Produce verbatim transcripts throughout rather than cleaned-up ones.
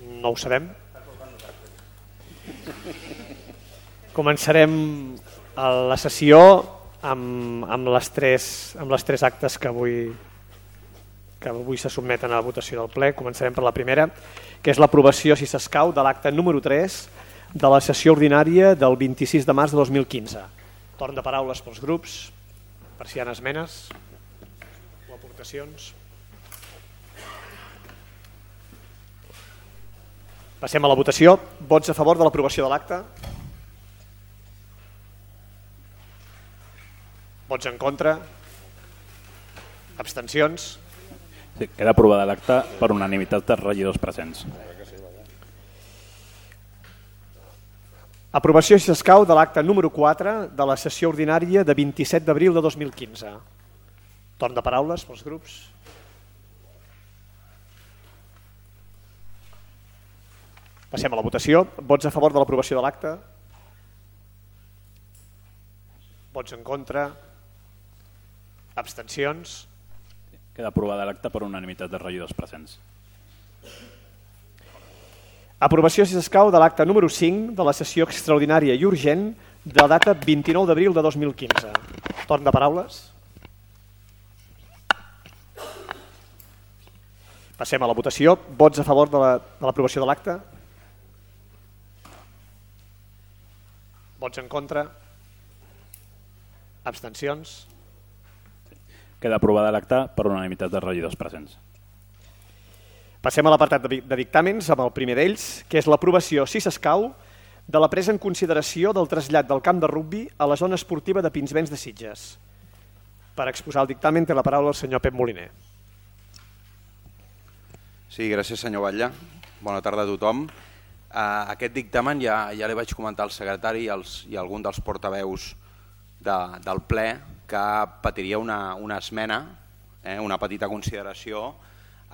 No ho sabem. Començarem la sessió amb, amb, les tres, amb les tres actes que avui, que avui se sotmeten a la votació del ple. Començarem per la primera, que és l'aprovació, si s'escau, de l'acte número tres de la sessió ordinària del vint-i-sis de març de dos mil quinze. Torn de paraules pels grups, per si hi ha esmenes o aportacions. Passem a la votació. Vots a favor de l'aprovació de l'acte? Vots en contra? Abstencions? Sí, queda aprovada l'acte per unanimitat dels regidors presents. Aprovació, si s'escau, de l'acte número quatre de la sessió ordinària de vint-i-set d'abril de dos mil quinze. Torn de paraules pels grups. Passem a la votació. Vots a favor de l'aprovació de l'acte? Vots en contra? Abstencions? Queda aprovada l'acte per unanimitat dels regidors presents. Aprovació, si s'escau, de l'acte número cinc de la sessió extraordinària i urgent de la data vint-i-nou d'abril de dos mil quinze. Torn de paraules. Passem a la votació. Vots a favor de l'aprovació de l'acte? Vots en contra? Abstencions? Queda aprovada l'acte per unanimitat dels regidors presents. Passem a l'apartat de dictàmens amb el primer d'ells, que és l'aprovació, si s'escau, de la presa en consideració del trasllat del camp de rugbi a la zona esportiva de Pinsbens de Sitges. Per exposar el dictamen té la paraula el senyor Pep Moliner. Sí, gràcies senyor Batlle. Bona tarda a tothom. Uh, aquest dictamen ja, ja li vaig comentar al secretari i, als, i a algun dels portaveus de, del ple que patiria una, una esmena, eh, una petita consideració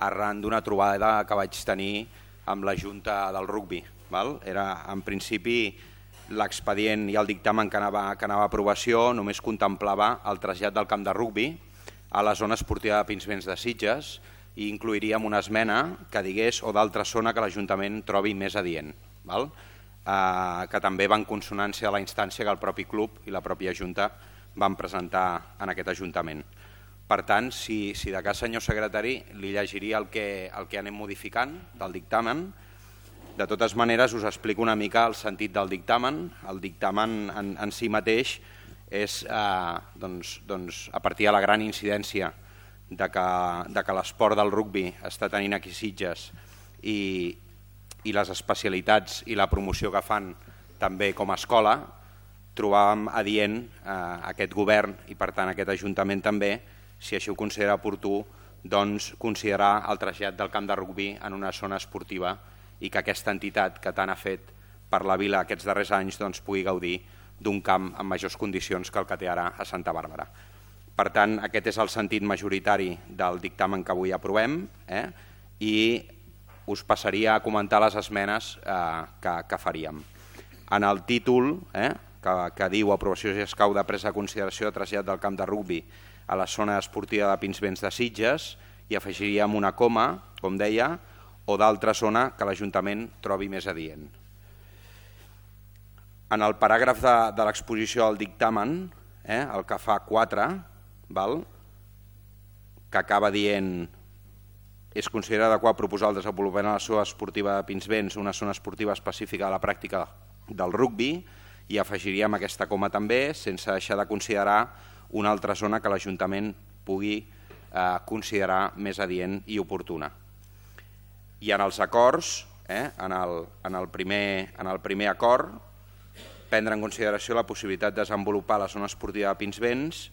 arran d'una trobada que vaig tenir amb la Junta del Rugbi. Val? Era, en principi, l'expedient i el dictamen que anava, que anava a aprovació només contemplava el trasllat del camp de rugbi a la zona esportiva de Pinsbens de Sitges i incluiríem una esmena que digués o d'altra zona que l'Ajuntament trobi més adient, val? Eh, que també va en consonància a la instància que el propi club i la pròpia Junta van presentar en aquest Ajuntament. Per tant, si, si de cas, senyor secretari, li llegiria el que, el que anem modificant del dictamen. De totes maneres, us explico una mica el sentit del dictamen. El dictamen en, en si mateix és eh, doncs, doncs, a partir de la gran incidència de que, de que l'esport del rugbi està tenint aquí Sitges i, i les especialitats i la promoció que fan també com a escola, trobàvem adient eh, aquest govern i per tant aquest Ajuntament també, si així ho considera oportú, doncs considerar el trasllat del camp de rugbi en una zona esportiva i que aquesta entitat que tant ha fet per la vila aquests darrers anys doncs, pugui gaudir d'un camp en majors condicions que el que té ara a Santa Bàrbara. Per tant, aquest és el sentit majoritari del dictamen que avui aprovem eh? I us passaria a comentar les esmenes eh, que, que faríem. En el títol, eh, que, que diu aprovació si escau de presa de consideració de trasllat del camp de rugbi a la zona esportiva de Pinsbens de Sitges, hi afegiríem una coma, com deia, o d'altra zona que l'Ajuntament trobi més adient. En el paràgraf de, de l'exposició del dictamen, eh, el que fa quatre, val? Que acaba dient és considerat adequat proposar el desenvolupament de la zona esportiva de Pinsbens, una zona esportiva específica de la pràctica del rugbi, i afegiríem aquesta coma també, sense deixar de considerar una altra zona que l'Ajuntament pugui eh, considerar més adient i oportuna. I en els acords, eh, en, el, en, el primer, en el primer acord, prendre en consideració la possibilitat de desenvolupar la zona esportiva de Pinsbens,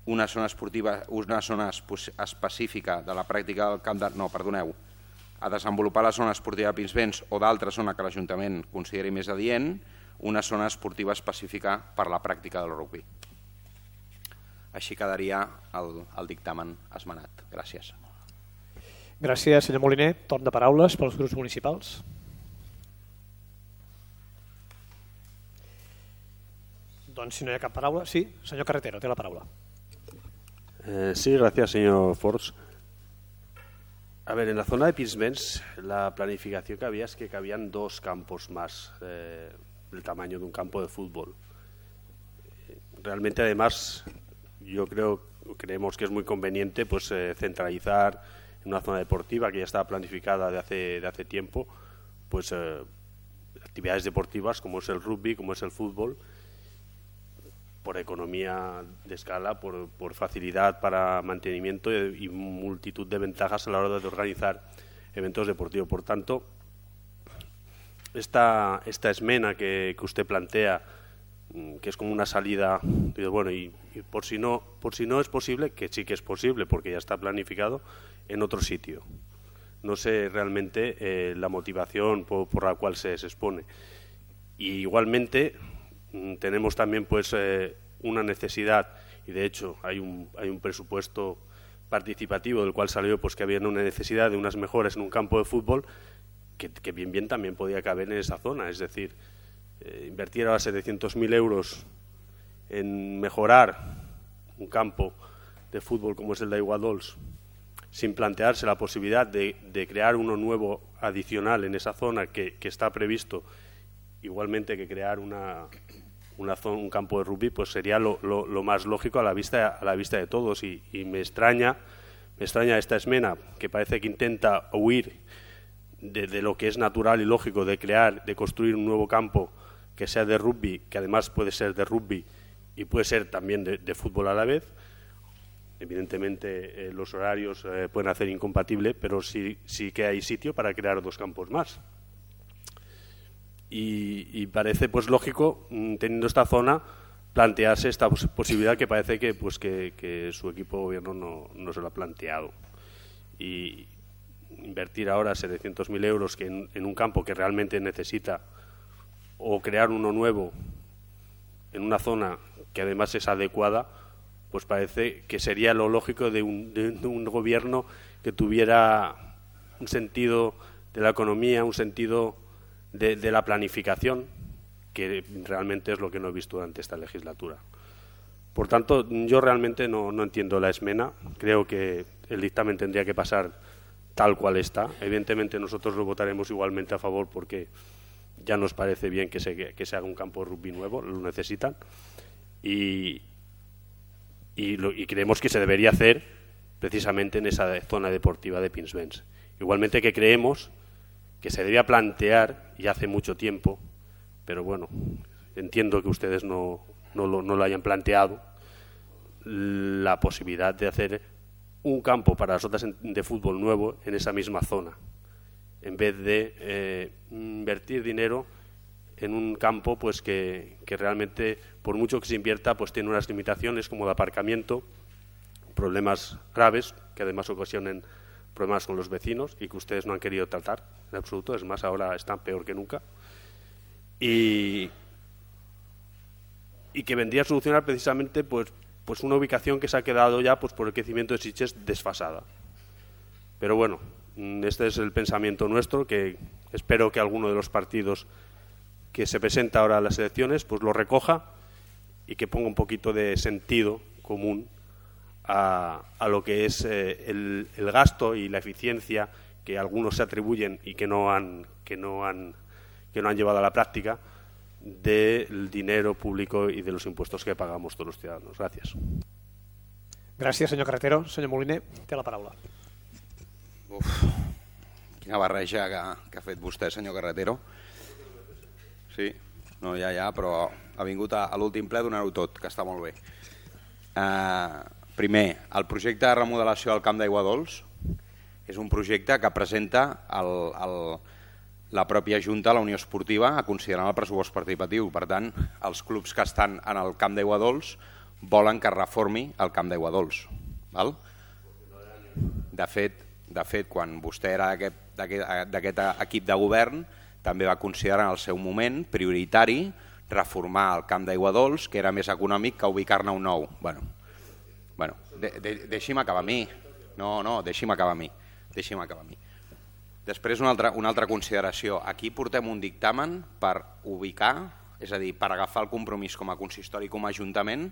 una zona esportiva, una zona específica de la pràctica del camp de... No, perdoneu. A desenvolupar la zona esportiva de Pinsbens o d'altra zona que l'Ajuntament consideri més adient, una zona esportiva específica per la pràctica del rugbi. Així quedaria el, el dictamen esmenat. Gràcies. Gràcies, senyor Moliner. Torn de paraules pels grups municipals. Doncs si no hi ha cap paraula... Sí, senyor Carretero, té la paraula. Eh, sí, gracias, señor Forns. A ver, en la zona de Pinsbens la planificación que había es que cabían dos campos más eh, del tamaño de un campo de fútbol. Realmente, además, yo creo creemos que es muy conveniente pues eh, centralizar en una zona deportiva que ya estaba planificada de hace de hace tiempo, pues eh, actividades deportivas como es el rugby, como es el fútbol, por economía de escala, por, por facilidad para mantenimiento y, y multitud de ventajas a la hora de organizar eventos deportivos. Por tanto, esta, esta esmena que, que usted plantea, que es como una salida, bueno, y, y por si no por si no es posible, que sí que es posible porque ya está planificado, en otro sitio. No sé realmente eh, la motivación por, por la cual se, se expone. Y igualmente tenemos también pues eh, una necesidad, y de hecho hay un, hay un presupuesto participativo del cual salió pues que había una necesidad de unas mejoras en un campo de fútbol que, que bien bien también podía caber en esa zona, es decir, eh, invertir ahora setecientos mil euros en mejorar un campo de fútbol como es el de Aiguadols, sin plantearse la posibilidad de, de crear uno nuevo adicional en esa zona que, que está previsto, igualmente que crear una, una zona, un campo de rugby, pues sería lo, lo, lo más lógico a la vista, a la vista de todos. Y, y me extraña, me extraña esta esmena que parece que intenta huir de, de lo que es natural y lógico de crear, de construir un nuevo campo que sea de rugby, que además puede ser de rugby y puede ser también de, de fútbol a la vez. Evidentemente eh, los horarios eh, pueden hacer incompatible, pero sí, sí que hay sitio para crear dos campos más. Y, y parece pues lógico, teniendo esta zona, plantearse esta pos posibilidad que parece que pues que, que su equipo de gobierno no, no se lo ha planteado. Y invertir ahora setecientos mil euros que en, en un campo que realmente necesita, o crear uno nuevo en una zona que además es adecuada, pues parece que sería lo lógico de un, de un gobierno que tuviera un sentido de la economía, un sentido de, de la planificación, que realmente es lo que no he visto durante esta legislatura. Por tanto, yo realmente no, no entiendo la esmena. Creo que el dictamen tendría que pasar tal cual está. Evidentemente nosotros lo votaremos igualmente a favor porque ya nos parece bien que se, que se haga un campo de rugby nuevo, lo necesitan. Y, y, lo, y creemos que se debería hacer precisamente en esa zona deportiva de Pinsbens. Igualmente que creemos que se debía plantear, y hace mucho tiempo, pero bueno, entiendo que ustedes no, no, lo, no lo hayan planteado, la posibilidad de hacer un campo para las otras de fútbol nuevo en esa misma zona, en vez de eh, invertir dinero en un campo pues que, que realmente, por mucho que se invierta, pues tiene unas limitaciones como de aparcamiento, problemas graves que además ocasionan problemas con los vecinos y que ustedes no han querido tratar en absoluto, es más, ahora están peor que nunca, y, y que vendría a solucionar precisamente pues, pues una ubicación que se ha quedado ya pues por el crecimiento de Sitges desfasada. Pero bueno, este es el pensamiento nuestro, que espero que alguno de los partidos que se presenta ahora a las elecciones pues lo recoja y que ponga un poquito de sentido común a, a lo que es eh, el, el gasto y la eficiencia que algunos se atribuyen y que no han que no han que no han llevado a la práctica del dinero público y de los impuestos que pagamos todos los ciudadanos. Gracias. Gràcies, senyor Carretero. Senyor Moliner, té la paraula. Uf, quina barreja que, que ha fet vostè, senyor Carretero. Sí, no, ja, ja, però ha vingut a, a l'últim ple a donar-ho tot, que està molt bé. Uh, primer, el projecte de remodelació del Camp d'Aiguadols és un projecte que presenta el, el, la pròpia Junta, la Unió Esportiva, a considerar el pressupost participatiu. Per tant, els clubs que estan en el Camp d'Aiguadols volen que es reformi el Camp d'Aiguadols. Val? De fet, de fet, quan vostè era d'aquest equip de govern, també va considerar en el seu moment prioritari reformar el Camp d'Aiguadols, que era més econòmic que ubicar-ne un nou. Bueno, bueno de, de, deixi'm acabar a mi. No, no, deixi'm acabar a mi. Deixi'm acabar a mi. Després, una altra, una altra consideració. Aquí portem un dictamen per ubicar, és a dir, per agafar el compromís com a consistori i com a ajuntament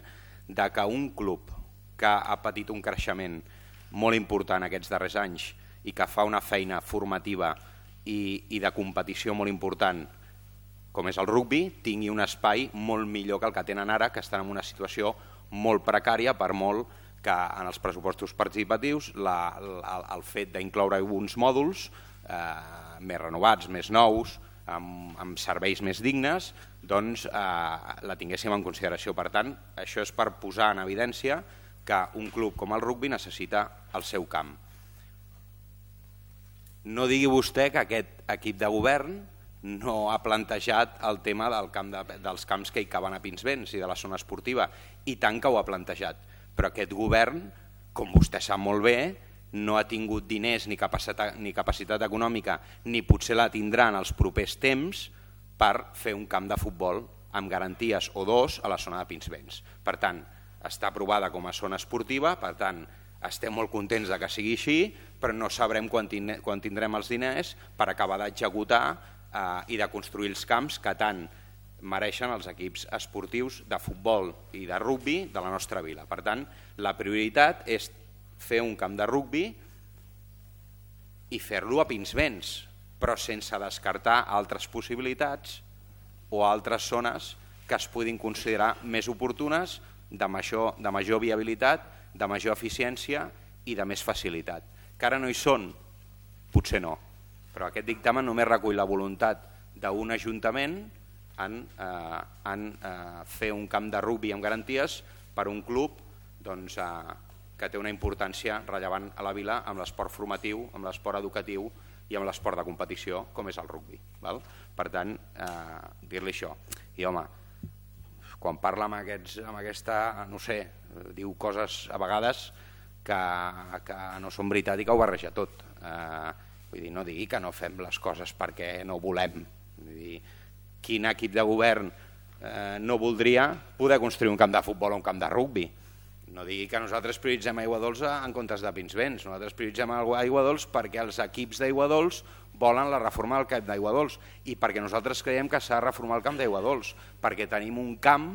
de que un club que ha patit un creixement molt important aquests darrers anys i que fa una feina formativa i, i de competició molt important com és el rugbi, tingui un espai molt millor que el que tenen ara, que estan en una situació molt precària, per molt que en els pressupostos participatius la, la, el fet d'incloure uns mòduls eh, més renovats, més nous, amb, amb serveis més dignes, doncs eh, la tinguéssim en consideració. Per tant, això és per posar en evidència que un club com el rugbi necessita el seu camp. No digui vostè que aquest equip de govern no ha plantejat el tema del camp de, dels camps que hi caben a Pinsbens i de la zona esportiva, i tant que ho ha plantejat, però aquest govern, com vostè sap molt bé, no ha tingut diners ni capacitat, ni capacitat econòmica, ni potser la tindrà en els propers temps per fer un camp de futbol amb garanties o dos a la zona de Pinsbens. Per tant, està aprovada com a zona esportiva, per tant, estem molt contents de que sigui així, però no sabrem quan tindrem els diners per acabar d'executar i de construir els camps que tant mereixen els equips esportius de futbol i de rugbi de la nostra vila. Per tant, la prioritat és fer un camp de rugbi i fer-lo a Pinsbens, però sense descartar altres possibilitats o altres zones que es puguin considerar més oportunes, de major, de major viabilitat, de major eficiència i de més facilitat. Que ara no hi són? Potser no. Però aquest dictamen només recull la voluntat d'un ajuntament en, eh, en eh, fer un camp de rugbi amb garanties per un club doncs, eh, que té una importància rellevant a la vila amb l'esport formatiu, amb l'esport educatiu i amb l'esport de competició, com és el rugbi. Val? Per tant, eh, dir-li això. I home, quan parla amb, aquests, amb aquesta, no sé, diu coses a vegades que, que no són veritat i que ho barreja tot. Eh, Vull dir, no digui que no fem les coses perquè no volem. Vull dir, quin equip de govern eh, no voldria poder construir un camp de futbol o un camp de rugbi? No digui que nosaltres prioritzem Aigua Dolça en comptes de Pinsbens. Nosaltres prioritzem Aigua Dolça perquè els equips d'Aigua Dolça volen la reforma del camp d'Aigua Dolça i perquè nosaltres creiem que s'ha de reformar el camp d'Aigua Dolça, perquè tenim un camp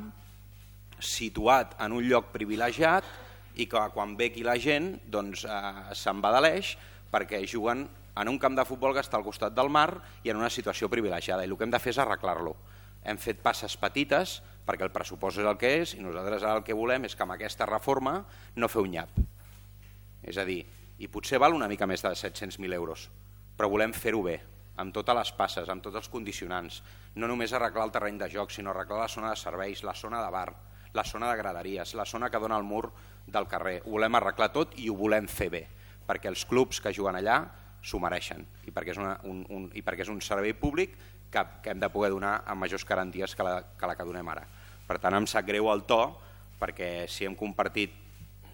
situat en un lloc privilegiat i que quan ve aquí la gent doncs, eh, se'n va de l'eix perquè juguen en un camp de futbol que està al costat del mar i en una situació privilegiada, i el que hem de fer és arreglar-lo. Hem fet passes petites perquè el pressupost és el que és i nosaltres ara el que volem és que amb aquesta reforma no fer un nyap. És a dir, i potser val una mica més de set-cents mil euros, però volem fer-ho bé, amb totes les passes, amb tots els condicionants, no només arreglar el terreny de joc, sinó arreglar la zona de serveis, la zona de bar, la zona de graderies, la zona que dona al mur del carrer. Ho volem arreglar tot i ho volem fer bé, perquè els clubs que juguen allà s'ho mereixen i perquè és, una, un, un, i perquè és un servei públic que, que hem de poder donar amb majors garanties que la, que la que donem ara. Per tant, em sap greu el to, perquè si hem compartit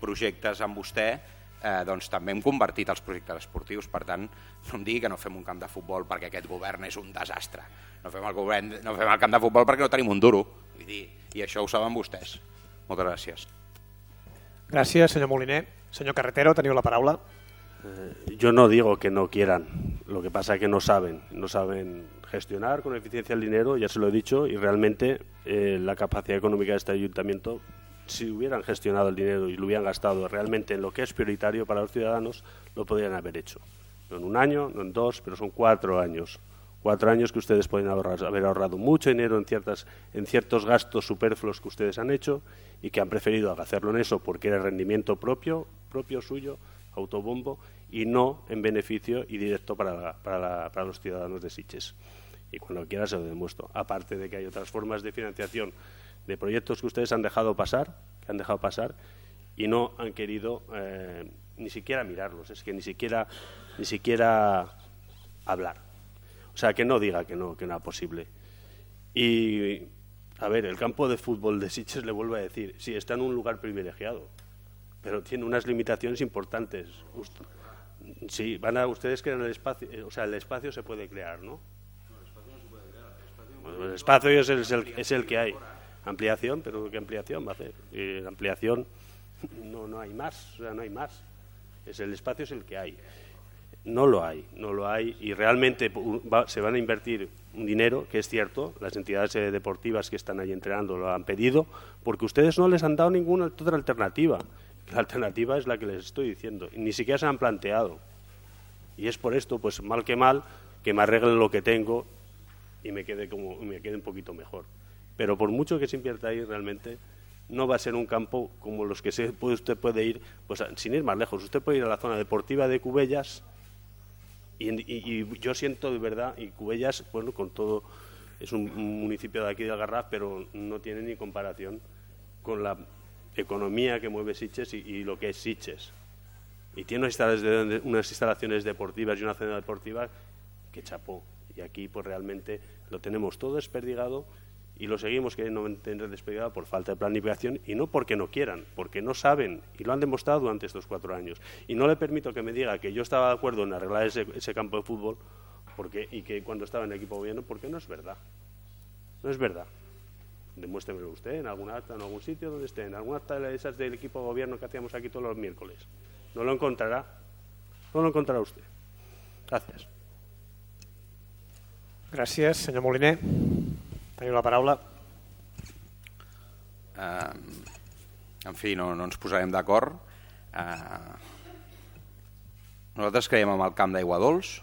projectes amb vostè, eh, doncs també hem convertit els projectes esportius. Per tant, no em digui que no fem un camp de futbol perquè aquest govern és un desastre. No fem el, govern, no fem el camp de futbol perquè no tenim un duro. Vull dir, i això ho saben vostès. Moltes gràcies. Gràcies, senyor Moliner. Senyor Carretero, teniu la paraula. Yo no digo que no quieran, lo que pasa es que no saben, no saben gestionar con eficiencia el dinero, ya se lo he dicho, y realmente eh, la capacidad económica de este ayuntamiento, si hubieran gestionado el dinero y lo hubieran gastado realmente en lo que es prioritario para los ciudadanos, lo podrían haber hecho. No en un año, no en dos, pero son cuatro años. Cuatro años que ustedes pueden ahorrar, haber ahorrado mucho dinero en, ciertas, en ciertos gastos superfluos que ustedes han hecho y que han preferido hacerlo en eso porque era rendimiento propio, propio suyo, autobombo, y no en beneficio y directo para, la, para, la, para los ciudadanos de Sitges. Y cuando quiera se lo demuestro. Aparte de que hay otras formas de financiación de proyectos que ustedes han dejado pasar, que han dejado pasar y no han querido eh, ni siquiera mirarlos, es que ni siquiera, ni siquiera hablar. O sea, que no diga que no, que no es posible. Y, a ver, el campo de fútbol de Sitges, le vuelvo a decir, sí, está en un lugar privilegiado, pero tiene unas limitaciones importantes. Sí, van a ustedes crean el espacio, o sea, el espacio se puede crear, ¿no? No, el espacio no se puede crear. El espacio, bueno, el espacio es, el, es, el, es el que hay. Ampliación, pero ¿qué ampliación va a hacer? Y la ampliación no, no hay más, o sea, no hay más. Es el espacio es el que hay. No lo hay, no lo hay y realmente va, se van a invertir un dinero, que es cierto, las entidades eh, deportivas que están ahí entrenando lo han pedido, porque ustedes no les han dado ninguna otra alternativa. La alternativa es la que les estoy diciendo, y ni siquiera se han planteado. Y es por esto, pues mal que mal, que me arreglen lo que tengo y me quede, como, me quede un poquito mejor. Pero por mucho que se invierta ahí, realmente no va a ser un campo como los que se, usted puede ir, pues sin ir más lejos. Usted puede ir a la zona deportiva de Cubellas y, y, y yo siento de verdad, y Cubellas, bueno, con todo, es un, un municipio de aquí de Algarraf, pero no tiene ni comparación con la economía que mueve Sitges y, y lo que es Sitges. Y tiene unas instalaciones, unas instalaciones deportivas y una zona deportiva que chapó. Y aquí pues realmente lo tenemos todo desperdigado y lo seguimos queriendo tener desperdigado por falta de planificación y no porque no quieran, porque no saben y lo han demostrado durante estos cuatro años. Y no le permito que me diga que yo estaba de acuerdo en arreglar ese, ese campo de fútbol porque, y que cuando estaba en el equipo de gobierno, porque no es verdad. No es verdad. Demuéstremelo usted en alguna acta, en algún sitio donde esté, en alguna acta de esas del equipo de gobierno que hacíamos aquí todos los miércoles. No lo encontrará. No lo encontrará usted. Gracias. Gràcies, senyor Moliner. Teniu la paraula. Uh, en fi, no, no ens posarem d'acord. Uh, nosaltres creiem en el camp d'Aigua Dols.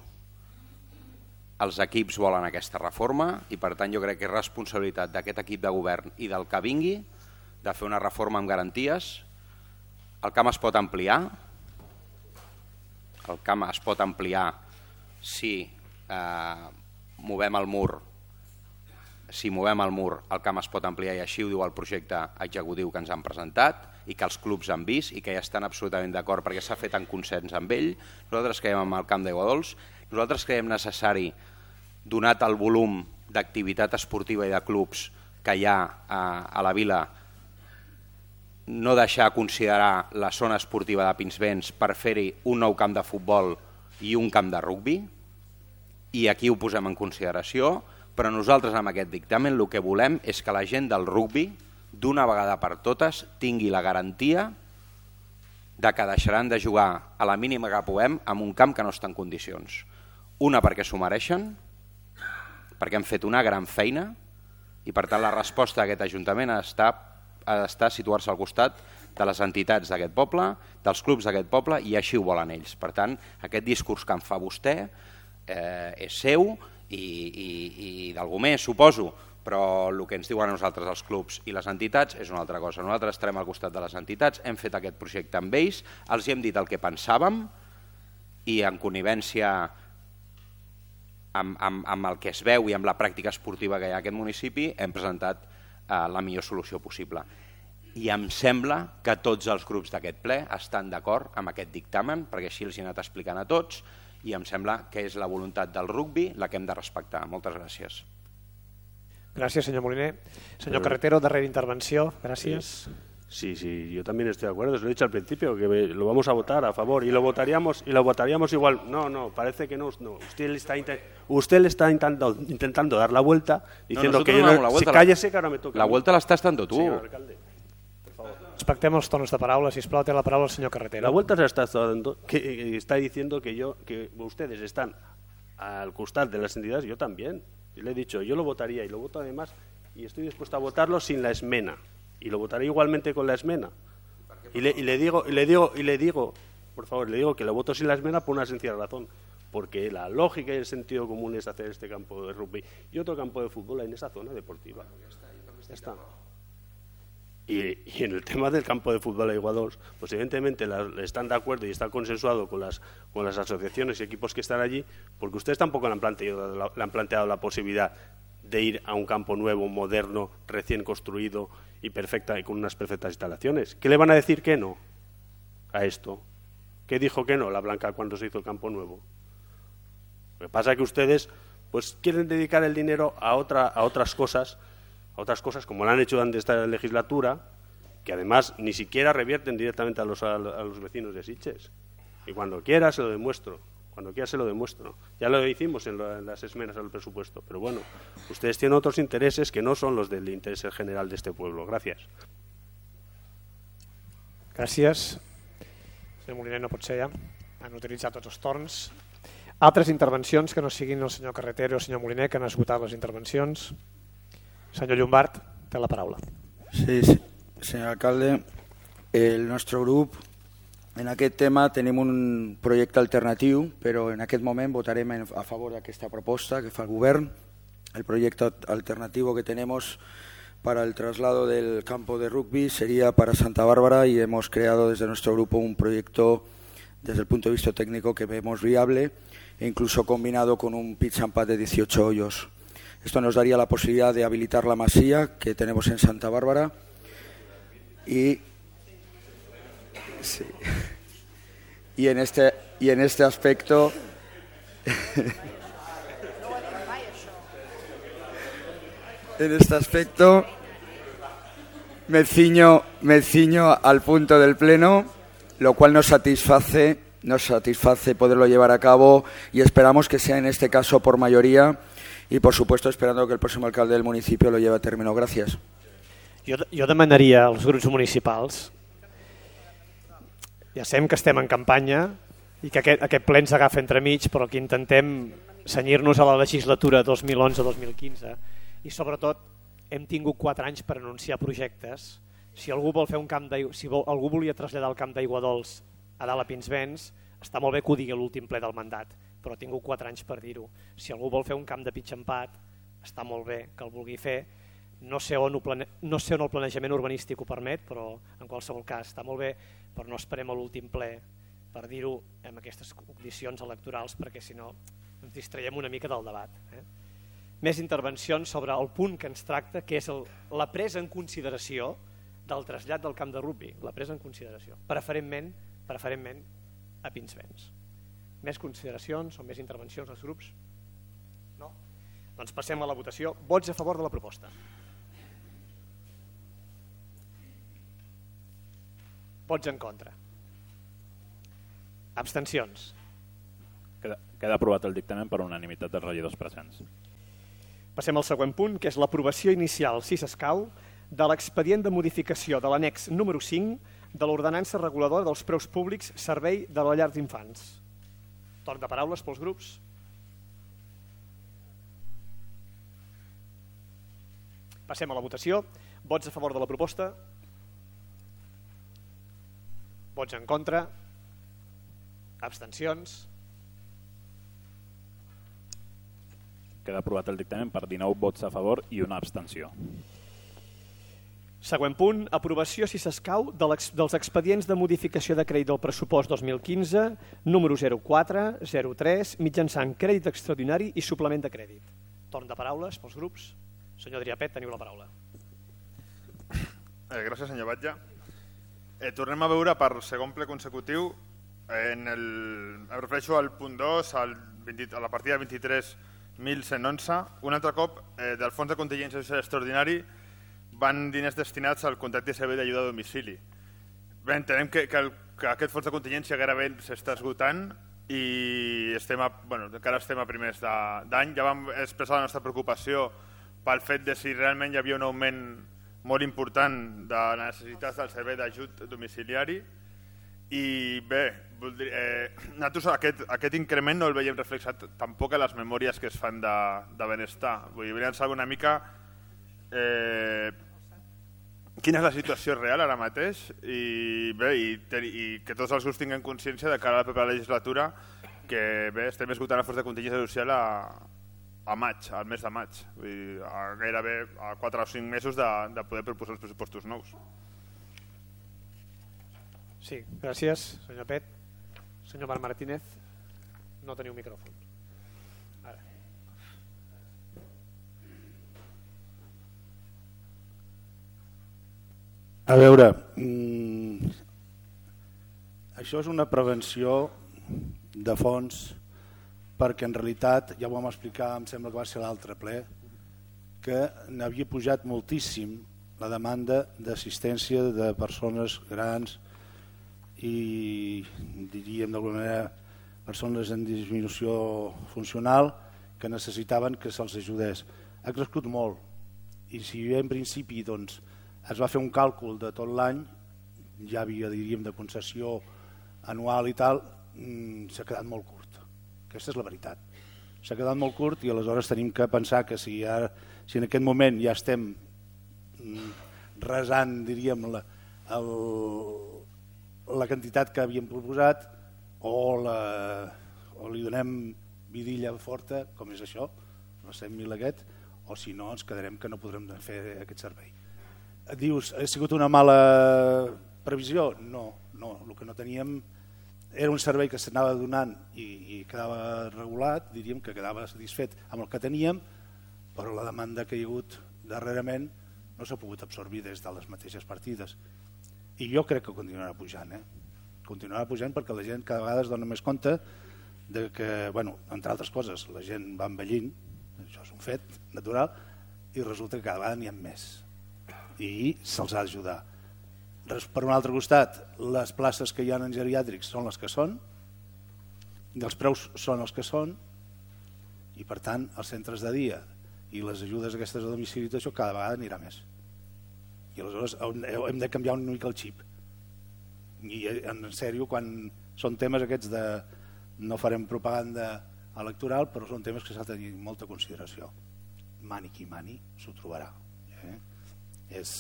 Els equips volen aquesta reforma i, per tant, jo crec que és responsabilitat d'aquest equip de govern i del que vingui de fer una reforma amb garanties. El camp es pot ampliar. El camp es pot ampliar si eh, movem el mur. Si movem el mur, el camp es pot ampliar i així ho diu el projecte executiu que ens han presentat i que els clubs han vist i que ja estan absolutament d'acord perquè s'ha fet en consens amb ell. Nosaltres creiem en el camp d'Aigua Dols. Nosaltres creiem necessari, donat el volum d'activitat esportiva i de clubs que hi ha a, a la vila, no deixar considerar la zona esportiva de Pinsbens per fer-hi un nou camp de futbol i un camp de rugbi, i aquí ho posem en consideració, però nosaltres amb aquest dictamen el que volem és que la gent del rugbi, d'una vegada per totes, tingui la garantia de que deixaran de jugar a la mínima que puguem en un camp que no està en condicions. Una, perquè s'ho mereixen, perquè han fet una gran feina i per tant la resposta d'aquest Ajuntament ha d'estar ha d'estar situar-se al costat de les entitats d'aquest poble, dels clubs d'aquest poble i així ho volen ells. Per tant, aquest discurs que en fa vostè eh, és seu i, i, i d'algú més, suposo, però el que ens diuen a nosaltres els clubs i les entitats és una altra cosa. Nosaltres estarem al costat de les entitats, hem fet aquest projecte amb ells, els hem dit el que pensàvem i en connivència amb, amb, amb el que es veu i amb la pràctica esportiva que hi ha a aquest municipi hem presentat eh, la millor solució possible. I em sembla que tots els grups d'aquest ple estan d'acord amb aquest dictamen, perquè així els he anat explicant a tots, i em sembla que és la voluntat del rugbi la que hem de respectar. Moltes gràcies. Gràcies, senyor Moliner. Senyor Carretero, darrera intervenció. Gràcies. Sí, sí, yo también estoy de acuerdo. Se lo he dicho al principio, que lo vamos a votar a favor y lo votaríamos y lo votaríamos igual. No, no, parece que no. no. Usted le está, usted le está intentando, intentando dar la vuelta diciendo no, que yo no, si cállese que ahora me toca. La vuelta la estás dando tú. Señor alcalde. Respectem els tonos de paraula, sisplau, té la paraula el senyor Carretero. La vuelta se está dando, que está diciendo que yo, que ustedes están al costat de las entidades, yo también. Yo le he dicho, yo lo votaría y lo voto además y estoy dispuesto a votarlo sin la esmena y lo votaré igualmente con la esmena. Y le, y le digo, y le digo, y le digo, por favor, le digo que lo voto sin la esmena por una sencilla razón, porque la lógica y el sentido común es hacer este campo de rugby y otro campo de fútbol en esa zona deportiva. Ya está. Y, y en el tema del campo de fútbol a Iguados, pues evidentemente la, están de acuerdo y está consensuado con las, con las asociaciones y equipos que están allí, porque ustedes tampoco le han, planteado, la, le han planteado la posibilidad de ir a un campo nuevo, moderno, recién construido y perfecta y con unas perfectas instalaciones. ¿Qué le van a decir que no a esto? ¿Qué dijo que no la Blanca cuando se hizo el campo nuevo? Lo que pasa es que ustedes pues quieren dedicar el dinero a, otra, a otras cosas, a otras cosas como lo han hecho durante esta legislatura, que además ni siquiera revierten directamente a los, a los vecinos de Sitges. Y cuando quiera se lo demuestro, cuando quiera se lo demuestro. Ya lo hicimos en, lo, en las esmenas al presupuesto, pero bueno, ustedes tienen otros intereses que no son los del interés general de este pueblo. Gracias. Gràcies. Senyor Moliner, no pot ser ja. Han utilitzat tots els torns. Altres intervencions que no siguin el senyor Carretero o el senyor Moliner, que han esgotat les intervencions. Senyor Llombart, té la paraula. Sí, sí, senyor alcalde, el nostre grup En aquest tema tenim un projecte alternatiu, però en aquest moment votarem a favor d'aquesta proposta que fa el govern. El proyecto alternativo que tenemos para el traslado del campo de rugby sería para Santa Bárbara y hemos creado desde nuestro grupo un proyecto desde el punto de vista técnico que vemos viable e incluso combinado con un pitch and pad de dieciocho hoyos. Esto nos daría la posibilidad de habilitar la masía que tenemos en Santa Bárbara y, sí, y, en, este, y en este aspecto... En este aspecto me ciño, me ciño al punto del Pleno, lo cual nos satisface, nos satisface poderlo llevar a cabo y esperamos que sea en este caso por mayoría y por supuesto esperando que el próximo alcalde del municipio lo lleve a término. Gracias. Jo, jo demanaria als grups municipals, ja sabem que estem en campanya i que aquest, aquest ple ens agafa entremig, però que intentem cenyir-nos a la legislatura dos mil onze dos mil quinze i sobretot hem tingut quatre anys per anunciar projectes. Si algú vol fer un camp d'aigua, si vol, algú volia traslladar el camp d'aigua dolç a dalt a Pinsbens, està molt bé que ho digui a l'últim ple del mandat, però ha tingut quatre anys per dir-ho. Si algú vol fer un camp de pitch and pad, està molt bé que el vulgui fer. No sé on, ho plane... no sé on el planejament urbanístic ho permet, però en qualsevol cas està molt bé, però no esperem a l'últim ple per dir-ho en aquestes condicions electorals, perquè si no ens distraiem una mica del debat. Eh? Més intervencions sobre el punt que ens tracta, que és el, la presa en consideració del trasllat del camp de rugby, la presa en consideració, preferentment, preferentment a Pinsbens. Més consideracions o més intervencions als grups? No? Doncs passem a la votació. Vots a favor de la proposta. Vots en contra. Abstencions. Queda, queda aprovat el dictamen per unanimitat dels regidors presents. Passem al següent punt, que és l'aprovació inicial, si s'escau, de l'expedient de modificació de l'annex número cinc de l'ordenança reguladora dels preus públics servei de la llar d'infants. Torn de paraules pels grups. Passem a la votació. Vots a favor de la proposta? Vots en contra? Abstencions? Queda aprovat el dictamen per dinou vots a favor i una abstenció. Següent punt, aprovació, si s'escau, dels expedients de modificació de crèdit del pressupost dos mil quinze, número zero quatre zero tres, mitjançant crèdit extraordinari i suplement de crèdit. Torn de paraules pels grups. Senyor Adrià Pet, teniu la paraula. Eh, gràcies, senyor Batlle. Eh, tornem a veure per segon ple consecutiu, en el, em refereixo al punt dos, al vint, a la partida vint-i-tres mil cent onze, un altre cop eh, del fons de contingència social extraordinari van diners destinats al contracte de servei d'ajuda a domicili. Bé, entenem que, que, el, que aquest fons de contingència gairebé s'està esgotant i estem a, bueno, encara estem a primers d'any. Ja vam expressar la nostra preocupació pel fet de si realment hi havia un augment molt important de les necessitats del servei d'ajut domiciliari. I bé, eh, nosaltres aquest, aquest increment no el veiem reflexat tampoc a les memòries que es fan de, de benestar. Vull dir, volíem saber una mica eh, quina és la situació real ara mateix i, bé, i, i que tots els grups tinguin consciència de cara a la propera legislatura que bé, estem esgotant el fons de contingència social a, a maig, al mes de maig. Vull dir, a gairebé a quatre o cinc mesos de, de poder proposar els pressupostos nous. Sí, gràcies, senyor Pet. Senyor Marc Martínez, no teniu micròfon. Ara. A veure, mmm, això és una prevenció de fons perquè en realitat, ja ho vam explicar, em sembla que va ser l'altre ple, que n'havia pujat moltíssim la demanda d'assistència de persones grans i diríem d'alguna manera persones en disminució funcional que necessitaven que se'ls ajudés. Ha crescut molt i si en principi doncs, es va fer un càlcul de tot l'any, ja havia diríem de concessió anual i tal, s'ha quedat molt curt. Aquesta és la veritat. S'ha quedat molt curt i aleshores tenim que pensar que si, ara, si en aquest moment ja estem resant diríem la, el la quantitat que havíem proposat o, la, o li donem vidilla forta, com és això, els cent mil aquest, o si no ens quedarem que no podrem fer aquest servei. Dius, ha sigut una mala previsió? No, no, el que no teníem era un servei que s'anava donant i, i quedava regulat, diríem que quedava satisfet amb el que teníem, però la demanda que hi ha hagut darrerament no s'ha pogut absorbir des de les mateixes partides. I jo crec que continuarà pujant, eh? Continuarà pujant perquè la gent cada vegada es dona més compte de que, bueno, entre altres coses, la gent va envellint, això és un fet natural, i resulta que cada vegada n'hi ha més. I se'ls ha d'ajudar. Per un altre costat, les places que hi ha en geriàtrics són les que són, i els preus són els que són, i per tant els centres de dia i les ajudes aquestes a domicili, això cada vegada anirà més. I aleshores hem de canviar una mica el xip. I en sèrio, quan són temes aquests de... no farem propaganda electoral, però són temes que s'ha de tenir molta consideració. Mani qui mani s'ho trobarà. Eh? És...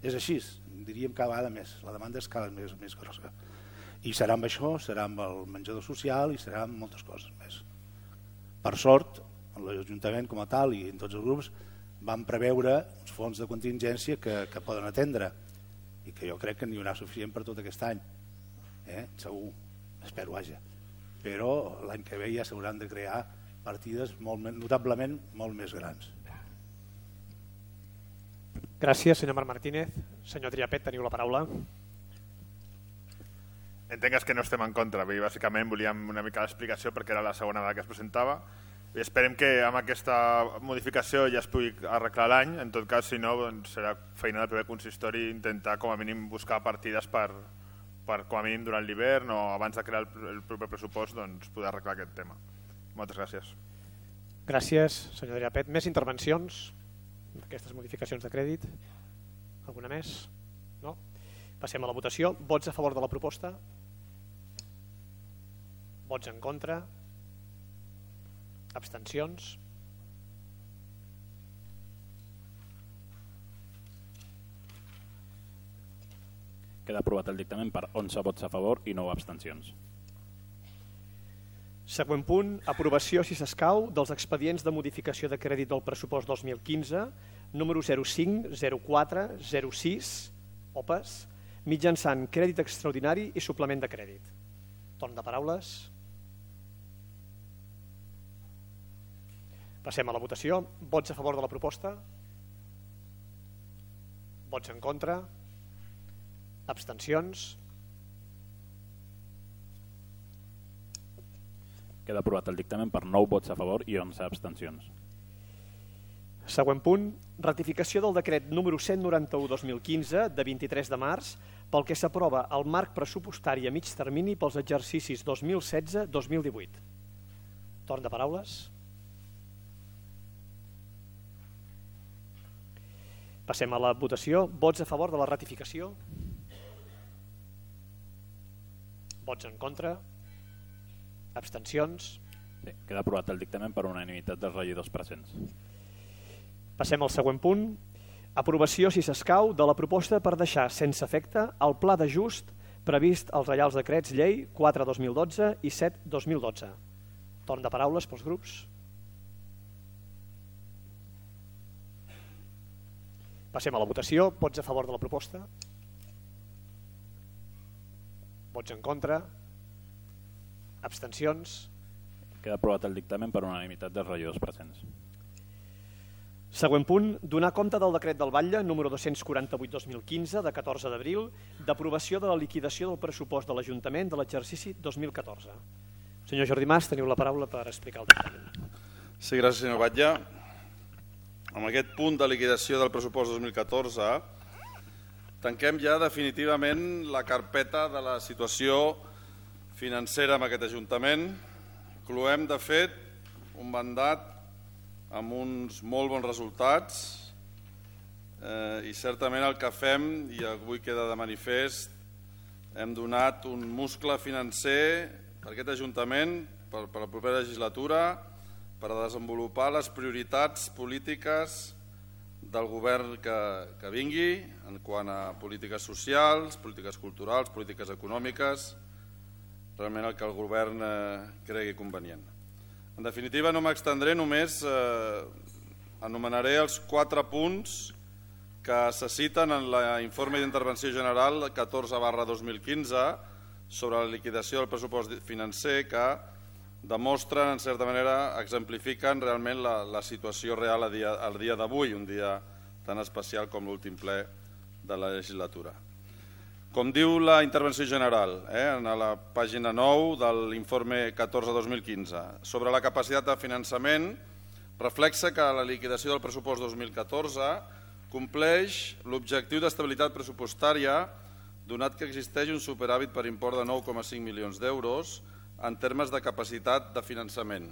és així, diríem cada vegada més, la demanda és cada vegada més, més grossa. I serà amb això, serà amb el menjador social i serà amb moltes coses més. Per sort, l'Ajuntament com a tal i en tots els grups van preveure uns fons de contingència que, que poden atendre i que jo crec que n'hi haurà suficient per tot aquest any. Eh? Segur, espero, vaja. Però l'any que ve ja s'hauran de crear partides molt, notablement molt més grans. Gràcies, senyor Marc Martínez. Senyor Triapet, teniu la paraula. Entengues que no estem en contra. Bàsicament volíem una mica l'explicació perquè era la segona vegada que es presentava. I esperem que amb aquesta modificació ja es pugui arreglar l'any. En tot cas, si no, doncs serà feina del primer consistori intentar com a mínim buscar partides per, per com a mínim durant l'hivern o abans de crear el, el proper pressupost doncs, poder arreglar aquest tema. Moltes gràcies. Gràcies, senyor Triapet. Més intervencions? Aquestes modificacions de crèdit? Alguna més? No? Passem a la votació. Vots a favor de la proposta? Vots en contra? Abstencions? Queda aprovat el dictamen per onze vots a favor i nou abstencions. Següent punt, aprovació, si s'escau, dels expedients de modificació de crèdit del pressupost dos mil quinze, número zero cinc, zero quatre, zero sis, O P A S, mitjançant crèdit extraordinari i suplement de crèdit. Torn de paraules. Passem a la votació. Vots a favor de la proposta? Vots en contra? Abstencions? Queda aprovat el dictamen per nou vots a favor i onze abstencions. Següent punt, ratificació del decret número cent noranta-u dos mil quinze de vint-i-tres de març pel que s'aprova el marc pressupostari a mig termini pels exercicis dos mil setze dos mil divuit. Torn de paraules. Passem a la votació. Vots a favor de la ratificació? Vots en contra? Abstencions? Sí, queda aprovat el dictamen per unanimitat dels regidors presents. Passem al següent punt. Aprovació, si s'escau, de la proposta per deixar sense efecte el pla d'ajust previst als Reials Decrets Llei quatre dos mil dotze i set dos mil dotze. Torn de paraules pels grups. Passem a la votació. Vots a favor de la proposta? Vots en contra? Abstencions? Queda aprovat el dictamen per unanimitat dels regidors presents. Següent punt, donar compte del decret del Batlle número dos-cents quaranta-vuit barra dos mil quinze de catorze d'abril d'aprovació de la liquidació del pressupost de l'Ajuntament de l'exercici dos mil catorze. Senyor Jordi Mas, teniu la paraula per explicar el dictamen. Sí, gràcies, senyor Batlle. Amb aquest punt de liquidació del pressupost dos mil catorze tanquem ja definitivament la carpeta de la situació financera amb aquest Ajuntament. Cloem, de fet, un mandat amb uns molt bons resultats eh, i certament el que fem, i avui queda de manifest, hem donat un muscle financer per aquest Ajuntament, per, per la propera legislatura, per a desenvolupar les prioritats polítiques del govern que, que vingui en quant a polítiques socials, polítiques culturals, polítiques econòmiques, realment el que el govern eh, cregui convenient. En definitiva, no m'extendré, només eh, anomenaré els quatre punts que se citen en l'informe d'intervenció general catorze barra dos mil quinze sobre la liquidació del pressupost financer, que demostren, en certa manera, exemplifiquen realment la, la situació real a dia, al dia d'avui, un dia tan especial com l'últim ple de la legislatura. Com diu la intervenció general, eh, en la pàgina nou de l'informe catorze dos mil quinze, sobre la capacitat de finançament, reflexa que la liquidació del pressupost dos mil catorze compleix l'objectiu d'estabilitat pressupostària, donat que existeix un superàvit per import de nou coma cinc milions d'euros en termes de capacitat de finançament.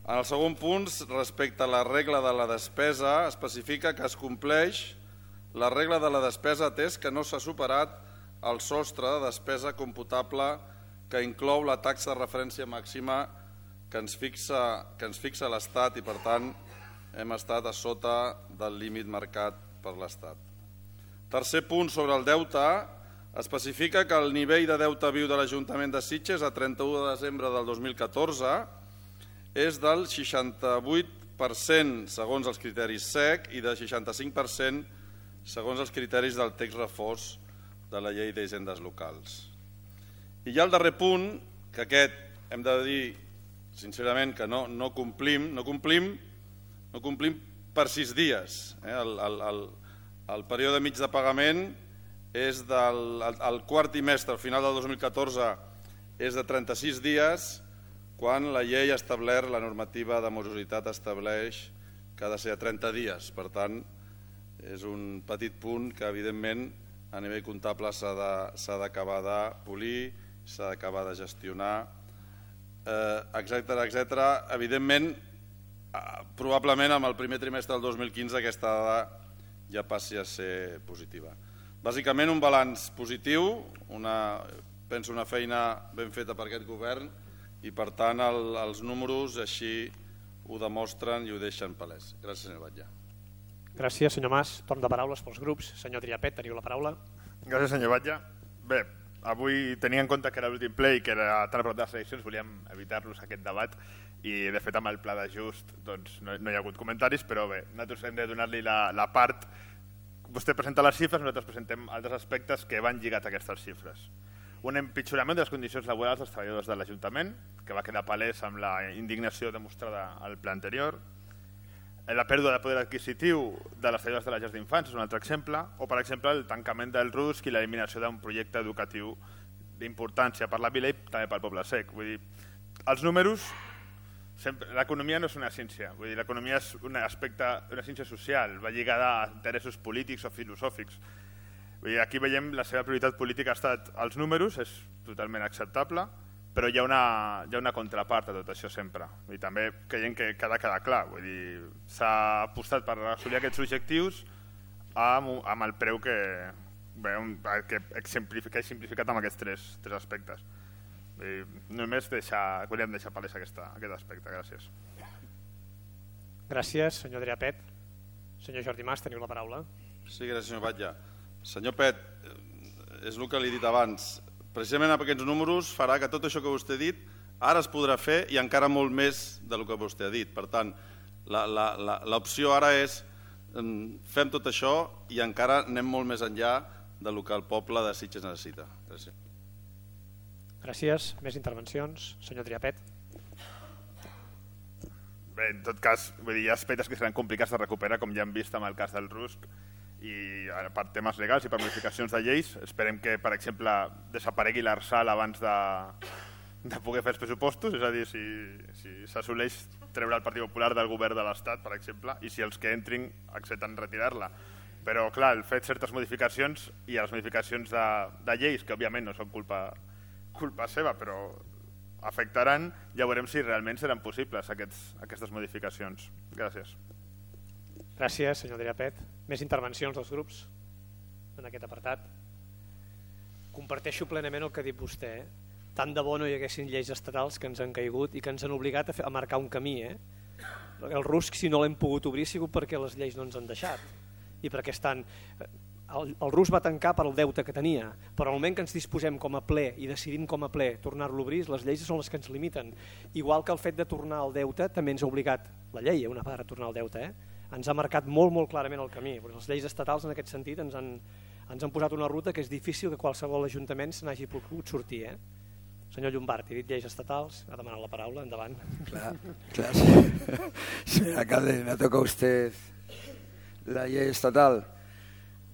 En el segon punt, respecte a la regla de la despesa, especifica que es compleix la regla de la despesa atès que no s'ha superat el sostre de despesa computable que inclou la taxa de referència màxima que ens fixa, que ens fixa l'Estat i, per tant, hem estat a sota del límit marcat per l'Estat. Tercer punt, sobre el deute, especifica que el nivell de deute viu de l'Ajuntament de Sitges a trenta-u de desembre del dos mil catorze és del seixanta-vuit per cent segons els criteris S E C i del seixanta-cinc per cent segons els criteris del text refós de la llei d'hisendes locals. I hi ha el darrer punt, que aquest hem de dir sincerament que no, no complim, no complim, no complim per sis dies. Eh? El, el, el, el període mig de pagament és del el, el quart trimestre, al final del dos mil catorze, és de trenta-sis dies, quan la llei ha establert, la normativa de morositat estableix que ha de ser a trenta dies. Per tant, és un petit punt que, evidentment, a nivell comptable s'ha d'acabar de polir, s'ha d'acabar de gestionar, etcètera, etcètera. Evidentment, probablement amb el primer trimestre del dos mil quinze aquesta dada ja passi a ser positiva. Bàsicament un balanç positiu, una, penso una feina ben feta per aquest govern i per tant el, els números així ho demostren i ho deixen palès. Gràcies, senyor Batlle. Gràcies, senyor Mas. Torn de paraules pels grups. Senyor Triapet, teniu la paraula. Gràcies, senyor Batlle. Bé, avui tenia en compte que era l'últim ple i que era tan a prop de les eleccions, volíem evitar-los aquest debat i de fet amb el pla d'ajust doncs, no, no hi ha hagut comentaris, però bé, nosaltres hem de donar-li la, la part. Vostè presenta les xifres, nosaltres presentem altres aspectes que van lligats a aquestes xifres. Un empitjorament de les condicions laborals dels treballadors de l'Ajuntament, que va quedar palès amb la indignació demostrada al ple anterior. La pèrdua de poder adquisitiu de les treballadores de les llars d'infants és un altre exemple, o per exemple el tancament del R U S C i l'eliminació d'un projecte educatiu d'importància per la vila i també pel poble sec. Vull dir, els números, l'economia no és una ciència, vull dir, l'economia és un aspecte, una ciència social, va lligada a interessos polítics o filosòfics. Vull dir, aquí veiem la seva prioritat política ha estat els números, és totalment acceptable, però hi ha una, hi ha una contrapart a tot això sempre. I també creiem que ha de quedar clar. Vull dir, s'ha apostat per assolir aquests objectius amb, amb el preu que, bé, que he simplificat amb aquests tres, tres aspectes. Vull dir, només deixar, volíem deixar palès aquesta, aquest aspecte. Gràcies. Gràcies, senyor Triapet. Senyor Jordi Mas, teniu la paraula. Sí, gràcies, senyor Batlle. Senyor Pet, és el que li he dit abans. Precisament amb aquests números farà que tot això que vostè ha dit ara es podrà fer i encara molt més del que vostè ha dit. Per tant, l'opció ara és fem tot això i encara anem molt més enllà del que el poble de Sitges necessita. Gràcies. Gràcies. Més intervencions? Senyor Triapet. Bé, en tot cas, vull dir, hi ha aspectes que seran complicats de recuperar, com ja hem vist amb el cas del R U S C, i per temes legals i per modificacions de lleis. Esperem que, per exemple, desaparegui l'Arsal abans de, de poder fer els pressupostos, és a dir, si, si s'assoleix treure el Partit Popular del govern de l'Estat, per exemple, i si els que entrin accepten retirar-la. Però, clar, el fet certes modificacions i les modificacions de, de lleis, que òbviament no són culpa, culpa seva, però afectaran, ja veurem si realment seran possibles aquests, aquestes modificacions. Gràcies. Gràcies, senyor Triapet. Més intervencions dels grups en aquest apartat? Comparteixo plenament el que ha dit vostè. Tant de bo no hi haguessin lleis estatals que ens han caigut i que ens han obligat a, fer, a marcar un camí. Eh? el rusc, si no l'hem pogut obrir, ha sigut perquè les lleis no ens han deixat. I perquè estan... El, el rusc va tancar per al deute que tenia, però al moment que ens disposem com a ple i decidim com a ple tornar-lo a obrir, les lleis són les que ens limiten. Igual que el fet de tornar al deute també ens ha obligat, la llei, una part, a tornar al deute, eh? Ens ha marcat molt, molt clarament el camí. Les lleis estatals, en aquest sentit, ens han, ens han posat una ruta que és difícil que qualsevol ajuntament se n'hagi pogut sortir. Eh? Senyor Llombart, he dit lleis estatals, ha demanat la paraula, endavant. Clar, clar. Señor alcalde, me ha tocado usted la ley estatal.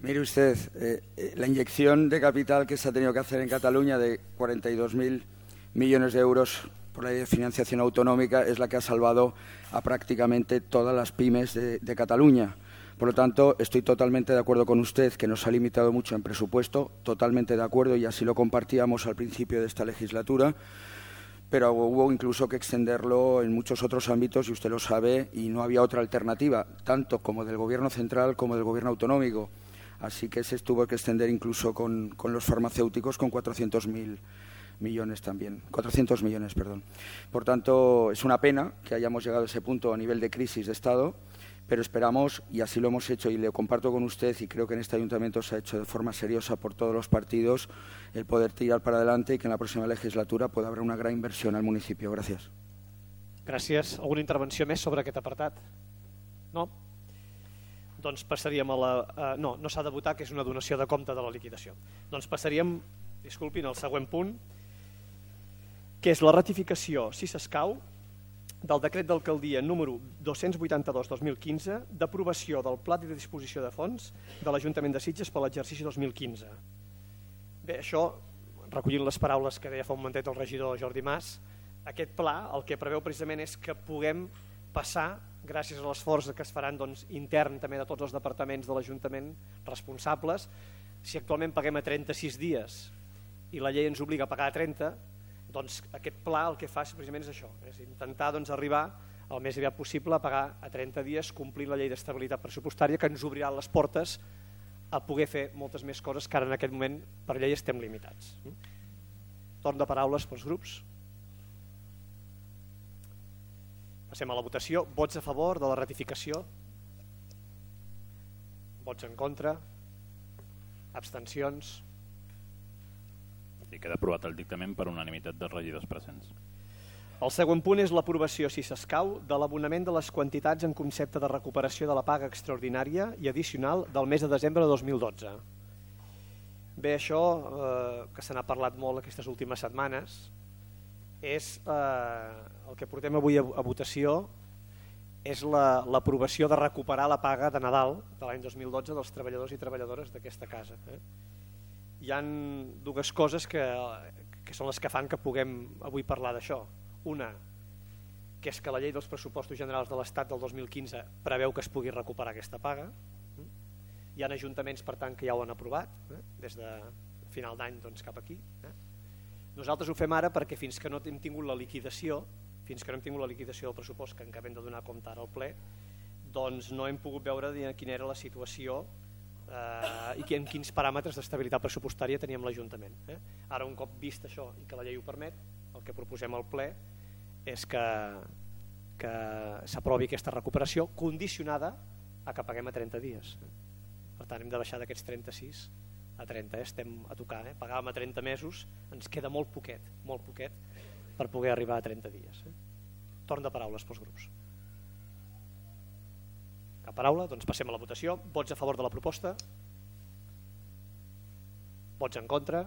Mire usted, eh, la inyección de capital que se ha tenido que hacer en Cataluña de cuarenta y dos mil millones de euros por la ley de financiación autonómica es la que ha salvado a prácticamente todas las pymes de, de Cataluña. Por lo tanto, estoy totalmente de acuerdo con usted, que nos ha limitado mucho en presupuesto, totalmente de acuerdo, y así lo compartíamos al principio de esta legislatura, pero hubo incluso que extenderlo en muchos otros ámbitos, y usted lo sabe, y no había otra alternativa, tanto como del Gobierno central como del Gobierno autonómico. Así que se tuvo que extender incluso con, con los farmacéuticos con cuatrocientos mil millones también, cuatrocientos millones, perdón. Por tanto, es una pena que hayamos llegado a ese punto a nivel de crisis de Estado, pero esperamos, y así lo hemos hecho y le comparto con usted, y creo que en este ayuntamiento se ha hecho de forma seriosa por todos los partidos, el poder tirar para adelante y que en la próxima legislatura pueda haber una gran inversión al municipio. Gracias. Gràcies. Alguna intervenció més sobre aquest apartat? No? Doncs passaríem a la... Uh, no, no s'ha de votar, que és una donació de compte de la liquidació. Doncs passaríem, disculpin, al següent punt, que és la ratificació, si s'escau, del decret d'alcaldia número dos-cents vuitanta-dos barra dos mil quinze d'aprovació del pla de disposició de fons de l'Ajuntament de Sitges per l'exercici dos mil quinze. Bé, això, recollint les paraules que deia fa un momentet el regidor Jordi Mas, aquest pla el que preveu precisament és que puguem passar, gràcies a l'esforç que es faran doncs, intern també de tots els departaments de l'Ajuntament responsables, si actualment paguem a trenta-sis dies i la llei ens obliga a pagar a trenta, doncs aquest pla el que fa precisament és això, és intentar doncs, arribar el més aviat possible a pagar a trenta dies, complint la llei d'estabilitat pressupostària que ens obrirà les portes a poder fer moltes més coses que ara en aquest moment per llei estem limitats. Torn de paraules pels grups. Passem a la votació. Vots a favor de la ratificació? Vots en contra? Abstencions? I queda aprovat el dictamen per unanimitat dels regidors presents. El següent punt és l'aprovació, si s'escau, de l'abonament de les quantitats en concepte de recuperació de la paga extraordinària i addicional del mes de desembre de dos mil dotze. Bé, això, eh, que se n'ha parlat molt aquestes últimes setmanes, és eh, el que portem avui a, a votació, és l'aprovació la, de recuperar la paga de Nadal de l'any dos mil dotze dels treballadors i treballadores d'aquesta casa. Eh? Hi ha dues coses que, que són les que fan que puguem avui parlar d'això. Una, que és que la llei dels pressupostos generals de l'Estat del dos mil quinze preveu que es pugui recuperar aquesta paga. Hi ha ajuntaments, per tant, que ja ho han aprovat, eh? des de final d'any doncs, cap aquí. Eh? Nosaltres ho fem ara perquè fins que no hem tingut la liquidació, fins que no hem tingut la liquidació del pressupost que acabem de donar compte ara al ple, doncs no hem pogut veure quina era la situació eh, i en quins paràmetres d'estabilitat pressupostària teníem l'Ajuntament. Eh? Ara, un cop vist això i que la llei ho permet, el que proposem al ple és que, que s'aprovi aquesta recuperació condicionada a que paguem a trenta dies. Per tant, hem de baixar d'aquests trenta-sis a trenta, eh? Estem a tocar. Eh? Pagàvem a trenta mesos, ens queda molt poquet, molt poquet per poder arribar a trenta dies. Eh? Torn de paraules pels grups. Cap paraula? Doncs passem a la votació. Vots a favor de la proposta? Vots en contra?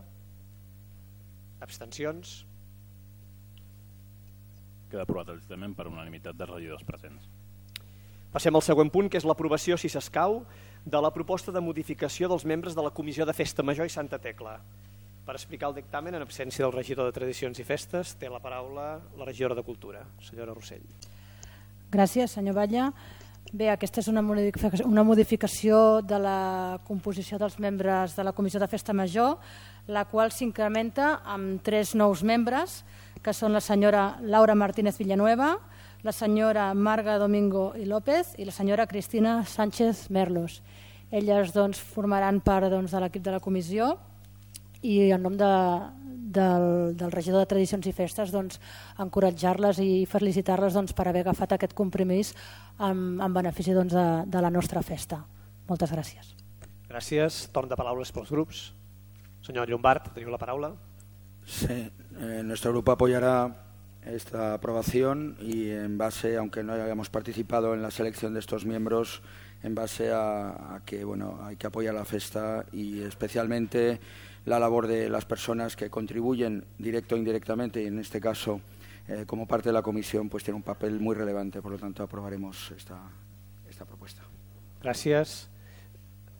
Abstencions? Queda aprovat el dictamen per unanimitat dels regidors presents. Passem al següent punt, que és l'aprovació, si s'escau, de la proposta de modificació dels membres de la Comissió de Festa Major i Santa Tecla. Per explicar el dictamen, en absència del regidor de Tradicions i Festes, té la paraula la regidora de Cultura, senyora Rossell. Gràcies, senyor Batlle. Bé, aquesta és una modificació, una modificació de la composició dels membres de la Comissió de Festa Major, la qual s'incrementa amb tres nous membres, que són la senyora Laura Martínez Villanueva, la senyora Marga Domingo i López i la senyora Cristina Sánchez Merlos. Elles doncs, formaran part doncs, de l'equip de la comissió i en nom de, del, del regidor de Tradicions i Festes, doncs, encoratjar-les i felicitar-les doncs, per haver agafat aquest compromís en, en benefici doncs, de, de la nostra festa. Moltes gràcies. Gràcies. Torn de paraules pels grups. Senyor Llombart, teniu la paraula. Sí, eh, nuestro grupo apoyará esta aprobación y en base, aunque no hayamos participado en la selección de estos miembros, en base a, a que bueno, hay que apoyar la festa y especialmente la labor de las personas que contribuyen directo o indirectamente, y en este caso eh, como parte de la comisión, pues tiene un papel muy relevante, por lo tanto aprobaremos esta, esta propuesta. Gràcies.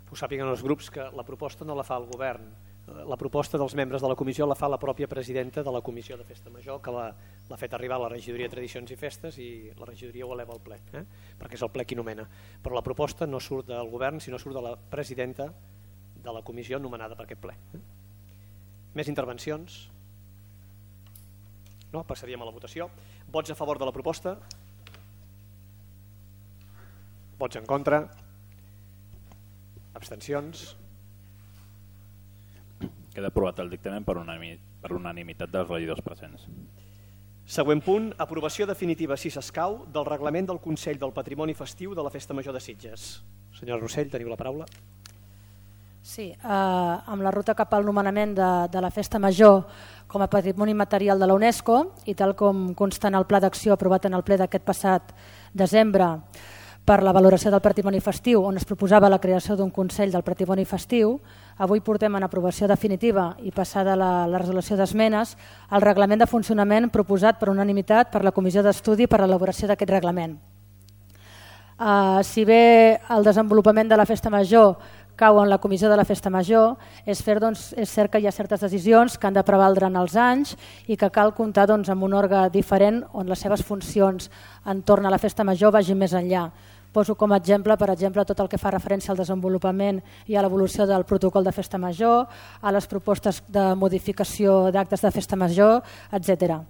Ho sàpiguen els grups que la proposta no la fa el govern. La proposta dels membres de la comissió la fa la pròpia presidenta de la Comissió de Festa Major, que l'ha fet arribar a la regidoria de Tradicions i Festes i la regidoria ho eleva al ple, eh? perquè és el ple qui nomena. Però la proposta no surt del govern, sinó surt de la presidenta de la comissió nomenada per aquest ple. Eh? Més intervencions? No? Passaríem a la votació. Vots a favor de la proposta? Vots en contra? Abstencions? Queda aprovat el dictamen per unanimitat dels regidors presents. Següent punt, aprovació definitiva, si s'escau, del reglament del Consell del Patrimoni Festiu de la Festa Major de Sitges. Senyora Rossell, teniu la paraula. Sí, eh, amb la ruta cap al nomenament de, de la Festa Major com a Patrimoni Material de la UNESCO i tal com consta en el Pla d'Acció aprovat en el ple d'aquest passat desembre per la valoració del patrimoni festiu, on es proposava la creació d'un Consell del Patrimoni Festiu, avui portem en aprovació definitiva i passada la, la resolució d'esmenes el reglament de funcionament proposat per unanimitat per la Comissió d'Estudi per a l'elaboració d'aquest reglament. Uh, si bé el desenvolupament de la Festa Major cau en la Comissió de la Festa Major, és, fer, doncs, és cert que hi ha certes decisions que han de prevaldre en els anys i que cal comptar doncs, amb un òrgan diferent on les seves funcions entorn a la Festa Major vagin més enllà. Poso com a exemple, per exemple, tot el que fa referència al desenvolupament i a l'evolució del protocol de Festa Major, a les propostes de modificació d'actes de Festa Major, etcètera.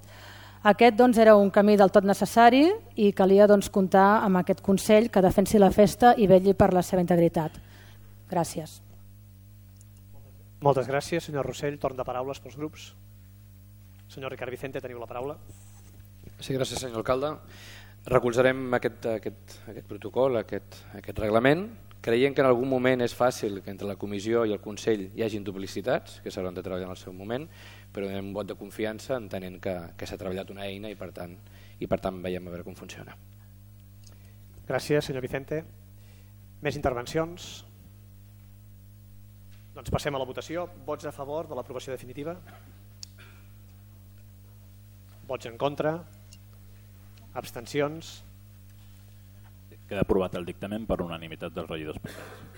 Aquest doncs, era un camí del tot necessari i calia doncs, comptar amb aquest Consell que defensi la festa i vetlli per la seva integritat. Gràcies. Moltes gràcies, senyor Rossell. Torn de paraules pels grups. Senyor Ricard Vicente, teniu la paraula. Sí, gràcies, senyor alcalde. Recolzarem aquest, aquest, aquest protocol, aquest, aquest reglament, creient que en algun moment és fàcil que entre la comissió i el Consell hi hagin duplicitats, que s'hauran de treballar en el seu moment, però donem un vot de confiança entenent que, que s'ha treballat una eina i per tant, i per tant veiem a veure com funciona. Gràcies, senyor Vicente. Més intervencions? Doncs passem a la votació. Vots a favor de l'aprovació definitiva? Vots en contra? Abstencions? Queda aprovat el dictamen per unanimitat dels regidors presents.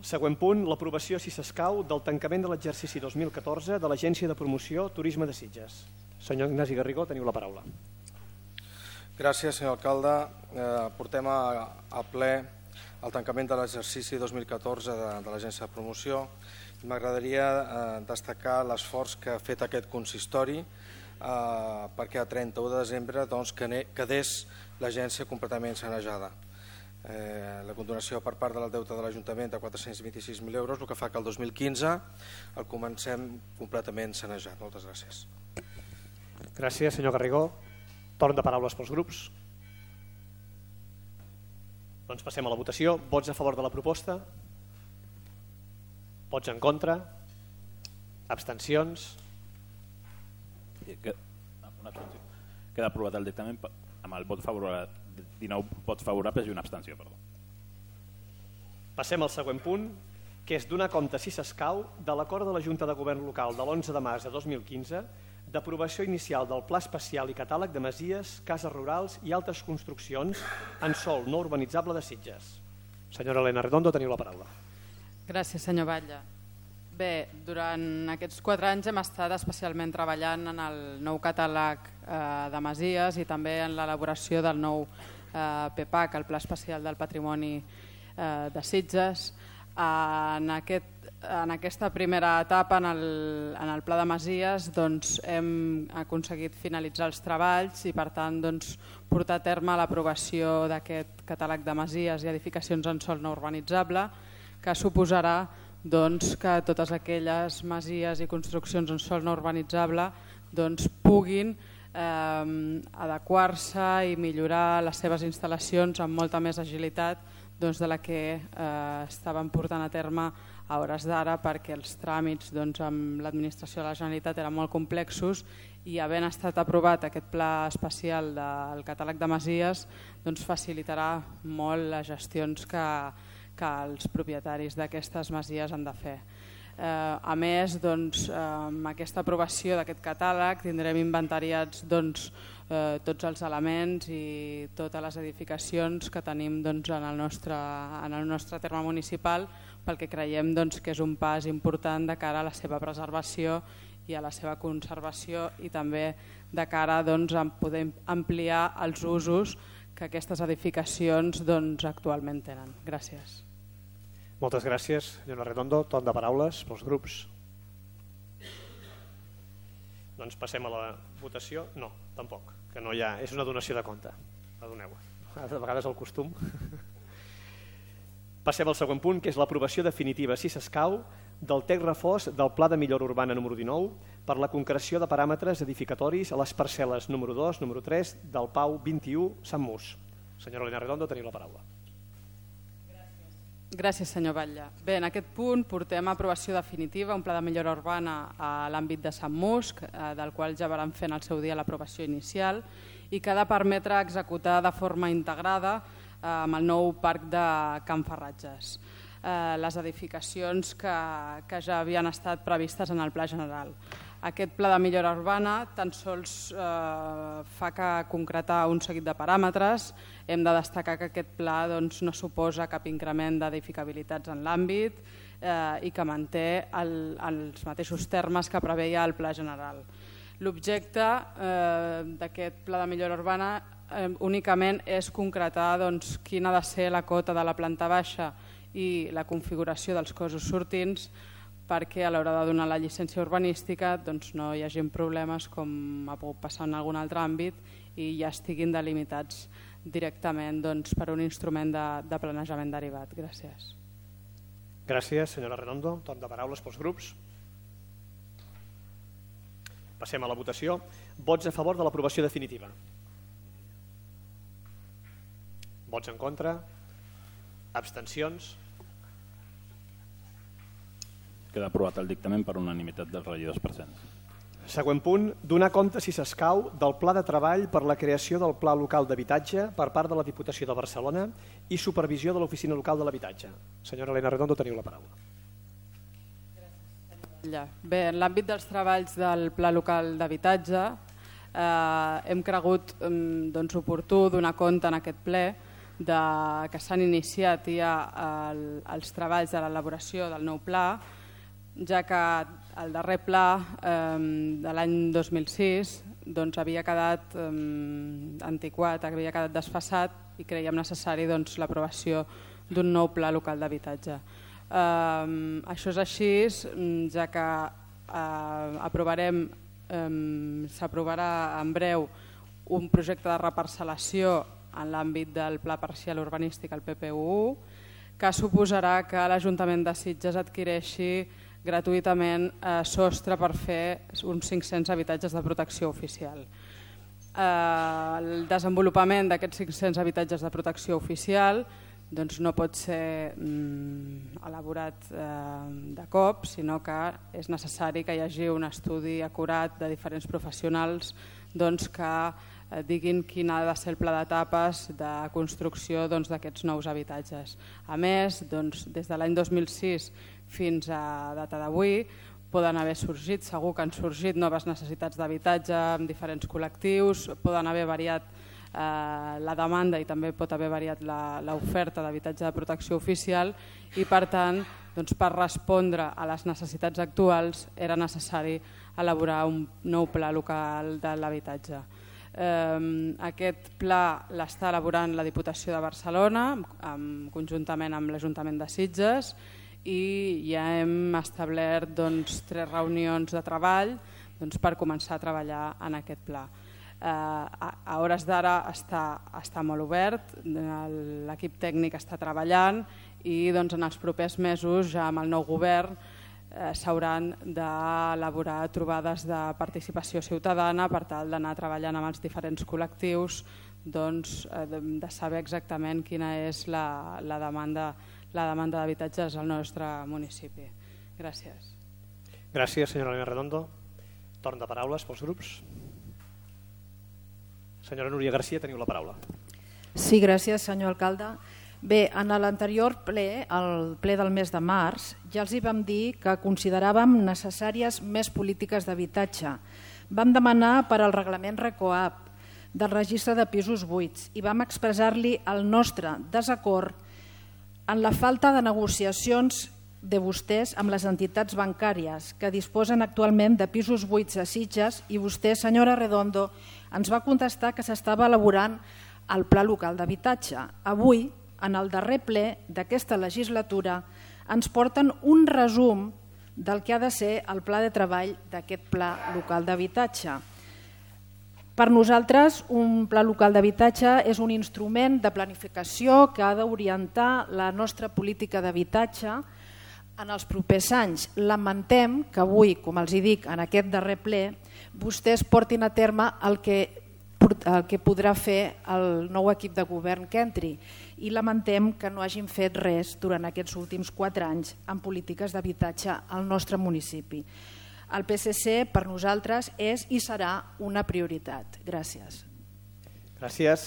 Següent punt, l'aprovació, si s'escau, del tancament de l'exercici dos mil catorze de l'Agència de Promoció Turisme de Sitges. Senyor Ignasi Garrigó, teniu la paraula. Gràcies, senyor alcalde. Eh, portem a, a ple el tancament de l'exercici dos mil catorze de, de l'Agència de Promoció. M'agradaria eh, destacar l'esforç que ha fet aquest consistori Uh, perquè a trenta-u de desembre doncs, quedés l'agència completament sanejada. Eh, la condonació per part del deute de l'Ajuntament de quatre-cents vint-i-sis mil euros, el que fa que el dos mil quinze el comencem completament sanejat. Moltes gràcies. Gràcies, senyor Garrigó. Torn de paraules pels grups. Doncs passem a la votació. Vots a favor de la proposta? Vots en contra? Abstencions? Queda aprovat el dictamen amb el vot favorable, dinou vots favorables i una abstenció. Perdó. Passem al següent punt, que és donar compte, si s'escau, de l'acord de la Junta de Govern Local de l'onze de març de dos mil quinze d'aprovació inicial del Pla Especial i Catàleg de Masies, Cases Rurals i altres construccions en sòl no urbanitzable de Sitges. Senyora Elena Redondo, teniu la paraula. Gràcies, senyor Batlle. Bé, durant aquests quatre anys hem estat especialment treballant en el nou catàleg de Masies i també en l'elaboració del nou P P A C, el Pla Especial del Patrimoni de Sitges. En, aquest, en aquesta primera etapa, en el, en el Pla de Masies, doncs, hem aconseguit finalitzar els treballs i per tant doncs, portar a terme l'aprovació d'aquest catàleg de masies i edificacions en sòl no urbanitzable, que suposarà doncs, que totes aquelles masies i construccions en sòl no urbanitzable doncs, puguin eh, adequar-se i millorar les seves instal·lacions amb molta més agilitat doncs, de la que eh, estaven portant a terme a hores d'ara, perquè els tràmits doncs, amb l'administració de la Generalitat eren molt complexos i havent estat aprovat aquest pla especial del catàleg de masies doncs, facilitarà molt les gestions que, que els propietaris d'aquestes masies han de fer. Eh, a més, doncs, eh, amb aquesta aprovació d'aquest catàleg tindrem inventariats doncs, eh, tots els elements i totes les edificacions que tenim doncs, en, el nostre, en el nostre terme municipal, pel que creiem doncs, que és un pas important de cara a la seva preservació i a la seva conservació i també de cara doncs, a poder ampliar els usos que aquestes edificacions doncs, actualment tenen. Gràcies. Moltes gràcies, senyora Redondo. Torn de paraules pels grups. Doncs passem a la votació. No, tampoc, que no hi ha. És una donació de compte. La doneu. A vegades el costum. Passem al següent punt, que és l'aprovació definitiva, si s'escau, del text refós del Pla de Millora Urbana número dinou per la concreció de paràmetres edificatoris a les parcel·les número dos, número tres del Pau vint i u, Sant Mus. Senyora Elena Redondo, teniu la paraula. Gràcies, senyor Batlle. Bé, en aquest punt portem a aprovació definitiva un pla de millora urbana a l'àmbit de Sant Mus, del qual ja vam fer en el seu dia l'aprovació inicial i que ha de permetre executar de forma integrada amb el nou parc de Can Ferratges les edificacions que, que ja havien estat previstes en el Pla General. Aquest pla de millora urbana tan sols eh, fa que concretar un seguit de paràmetres. Hem de destacar que aquest pla doncs, no suposa cap increment d'edificabilitats en l'àmbit eh, i que manté el, els mateixos termes que preveia el Pla General. L'objecte eh, d'aquest pla de millora urbana eh, únicament és concretar doncs, quina ha de ser la cota de la planta baixa i la configuració dels cossos sortints perquè a l'hora de donar la llicència urbanística doncs, no hi hagi problemes com ha pogut passar en algun altre àmbit i ja estiguin delimitats directament doncs, per un instrument de, de planejament derivat. Gràcies. Gràcies, senyora Redondo. Torn de paraules pels grups. Passem a la votació. Vots a favor de l'aprovació definitiva. Vots en contra. Abstencions. Queda aprovat el dictamen per unanimitat dels regidors presents. Següent punt, donar compte, si s'escau, del pla de treball per la creació del Pla Local d'Habitatge per part de la Diputació de Barcelona i supervisió de l'Oficina Local de l'Habitatge. Senyora Elena Redondo, teniu la paraula. Bé, en l'àmbit dels treballs del Pla Local d'Habitatge eh, hem cregut eh, doncs, oportú donar compte en aquest ple de, que s'han iniciat ja el, els treballs de l'elaboració del nou pla, ja que el darrer pla eh, de l'any dos mil sis doncs, havia quedat eh, antiquat, havia quedat desfasat i creiem necessari doncs, l'aprovació d'un nou pla local d'habitatge. Eh, això és així, ja que eh, aprovarem, eh, s'aprovarà en breu un projecte de reparcel·lació en l'àmbit del Pla Parcial Urbanístic, el P P U u, que suposarà que l'Ajuntament de Sitges adquireixi gratuïtament eh, sostre per fer uns cinc-cents habitatges de protecció oficial. Eh, el desenvolupament d'aquests cinc-cents habitatges de protecció oficial doncs, no pot ser mm, elaborat eh, de cop, sinó que és necessari que hi hagi un estudi acurat de diferents professionals doncs, que eh, diguin quin ha de ser el pla d'etapes de construcció doncs, d'aquests nous habitatges. A més, doncs, des de l'any dos mil sis fins a data d'avui poden haver sorgit, segur que han sorgit noves necessitats d'habitatge en diferents col·lectius, poden haver variat eh, la demanda i també pot haver variat l'oferta d'habitatge de protecció oficial i per tant doncs, per respondre a les necessitats actuals era necessari elaborar un nou pla local de l'habitatge. Eh, aquest pla l'està elaborant la Diputació de Barcelona amb, conjuntament amb l'Ajuntament de Sitges i ja hem establert doncs, tres reunions de treball doncs, per començar a treballar en aquest pla. a hores d'ara està molt obert, l'equip tècnic està treballant i en els propers mesos ja amb el nou govern s'hauran d'elaborar trobades de participació ciutadana per tal d'anar treballant amb els diferents col·lectius, de saber exactament quina és la demanda d'habitatges al nostre municipi. Gràcies. Gràcies, senyora Elena Redondo. Torn de paraules pels grups. Senyora Núria Garcia, teniu la paraula. Sí, gràcies, senyor alcalde. Bé, en l'anterior ple, el ple del mes de març, ja els hi vam dir que consideràvem necessàries més polítiques d'habitatge. Vam demanar per al reglament RECOAP del registre de pisos buits i vam expressar-li el nostre desacord en la falta de negociacions de vostès amb les entitats bancàries que disposen actualment de pisos buits a Sitges i vostè, senyora Redondo, ens va contestar que s'estava elaborant el Pla Local d'Habitatge. Avui, en el darrer ple d'aquesta legislatura, ens porten un resum del que ha de ser el pla de treball d'aquest Pla Local d'Habitatge. Per nosaltres, un Pla Local d'Habitatge és un instrument de planificació que ha d'orientar la nostra política d'habitatge en els propers anys. Lamentem que avui, com els dic, en aquest darrer ple, vostès portin a terme el que, el que podrà fer el nou equip de govern que entri i lamentem que no hagin fet res durant aquests últims quatre anys en polítiques d'habitatge al nostre municipi. El P S C per nosaltres és i serà una prioritat. Gràcies. Gràcies.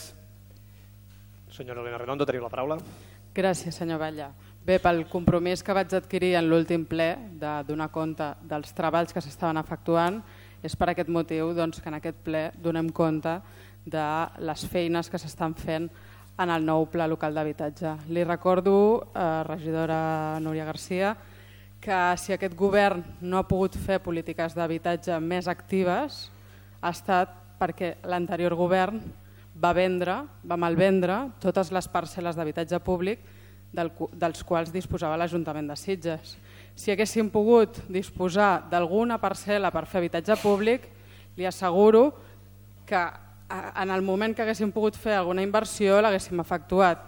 Senyora Elena Redondo, teniu la paraula. Gràcies, senyor Batlle. Bé, pel compromís que vaig adquirir en l'últim ple de donar compte dels treballs que s'estaven efectuant, és per aquest motiu que en aquest ple donem compte de les feines que s'estan fent en el nou Pla Local d'Habitatge. Li recordo, regidora Núria Garcia, que si aquest govern no ha pogut fer polítiques d'habitatge més actives ha estat perquè l'anterior govern va vendre, va malvendre totes les parcel·les d'habitatge públic dels quals disposava l'Ajuntament de Sitges. Si haguéssim pogut disposar d'alguna parcel·la per fer habitatge públic, li asseguro que en el moment que haguéssim pogut fer alguna inversió l'haguéssim efectuat,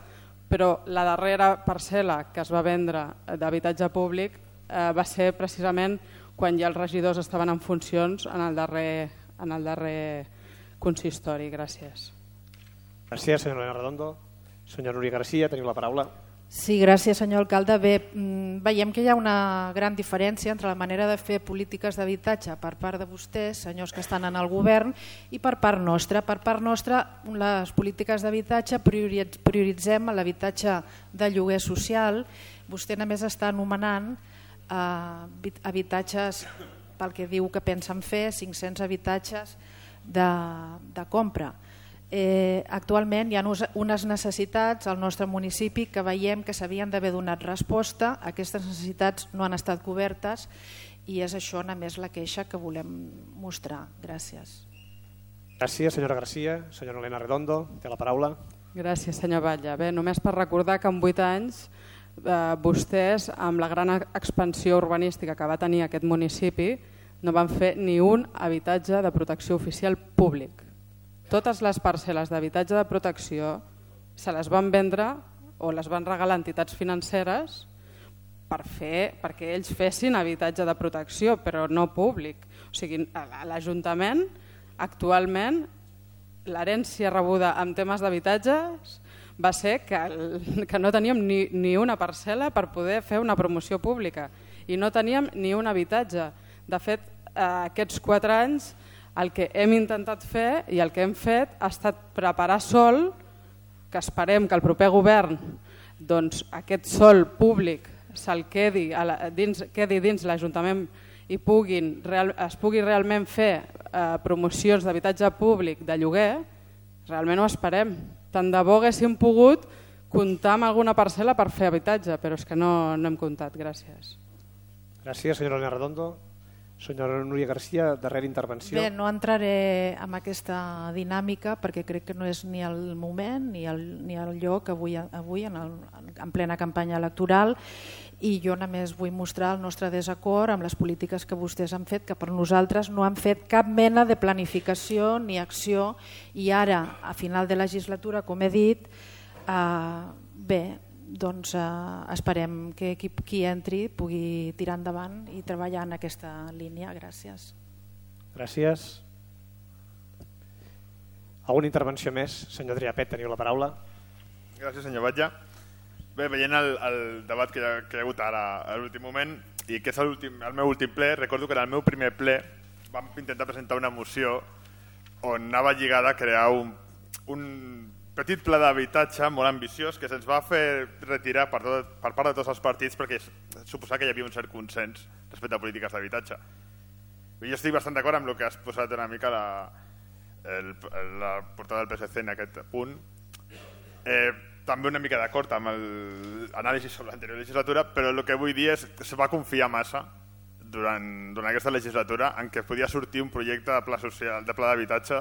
però la darrera parcel·la que es va vendre d'habitatge públic va ser precisament quan ja els regidors estaven en funcions en el darrer, en el darrer consistori. Gràcies. Gràcies, senyora Elena Redondo. Senyora Núria Garcia, teniu la paraula. Sí, gràcies, senyor alcalde. Bé, veiem que hi ha una gran diferència entre la manera de fer polítiques d'habitatge per part de vostès, senyors que estan en el govern, i per part nostra. Per part nostra, les polítiques d'habitatge prioritzem l'habitatge de lloguer social. Vostè només està anomenant habitatges pel que diu que pensen fer, cinc-cents habitatges de, de compra. Eh, actualment hi ha unes necessitats al nostre municipi que veiem que s'havien d'haver donat resposta. Aquestes necessitats no han estat cobertes i és això només la queixa que volem mostrar. Gràcies. Gràcies, senyora Garcia. Senyora Elena Redondo, té la paraula. Gràcies, senyor Batlle. Bé, només per recordar que en vuit anys eh, vostès, amb la gran expansió urbanística que va tenir aquest municipi, no van fer ni un habitatge de protecció oficial públic. Totes les parcel·les d'habitatge de protecció se les van vendre o les van regalar a entitats financeres per fer, perquè ells fessin habitatge de protecció, però no públic. O sigui, a l'Ajuntament, actualment, l'herència rebuda en temes d'habitatges va ser que, que no teníem ni, ni una parcel·la per poder fer una promoció pública i no teníem ni un habitatge. De fet, aquests quatre anys el que hem intentat fer i el que hem fet ha estat preparar sòl, que esperem que el proper govern doncs, aquest sòl públic se'l quedi, dins, quedi dins l'Ajuntament i puguin, real, es pugui realment fer eh, promocions d'habitatge públic de lloguer. Realment ho esperem. Tant de bo haguéssim pogut comptar amb alguna parcel·la per fer habitatge, però és que no, no hem comptat. Gràcies. Gràcies, senyora Elena Redondo. Senyora Núria Garcia, darrera intervenció. Bé, no entraré en aquesta dinàmica perquè crec que no és ni el moment ni el, ni el lloc avui, avui en, el, en plena campanya electoral, i jo només vull mostrar el nostre desacord amb les polítiques que vostès han fet, que per nosaltres no han fet cap mena de planificació ni acció, i ara, a final de legislatura, com he dit, eh, bé, doncs eh, esperem que qui, qui entri pugui tirar endavant i treballar en aquesta línia. Gràcies. Gràcies. Alguna intervenció més? Senyor Adrià Pet, teniu la paraula. Gràcies, senyor Batlle. Bé, veient el, el debat que hi, ha, que hi ha hagut ara a l'últim moment, i que és el, últim, el meu últim ple, recordo que en el meu primer ple vam intentar presentar una moció on anava lligada a crear un, un petit pla d'habitatge molt ambiciós que se'ns va fer retirar per, tot, per part de tots els partits perquè suposava que hi havia un cert consens respecte a polítiques d'habitatge. Jo estic bastant d'acord amb el que has posat una mica la, el, la portada del P S C en aquest punt. Eh, també una mica d'acord amb l'anàlisi sobre l'anterior legislatura, però el que vull dir és que se va confiar massa durant, durant aquesta legislatura en què podia sortir un projecte de pla social, de pla d'habitatge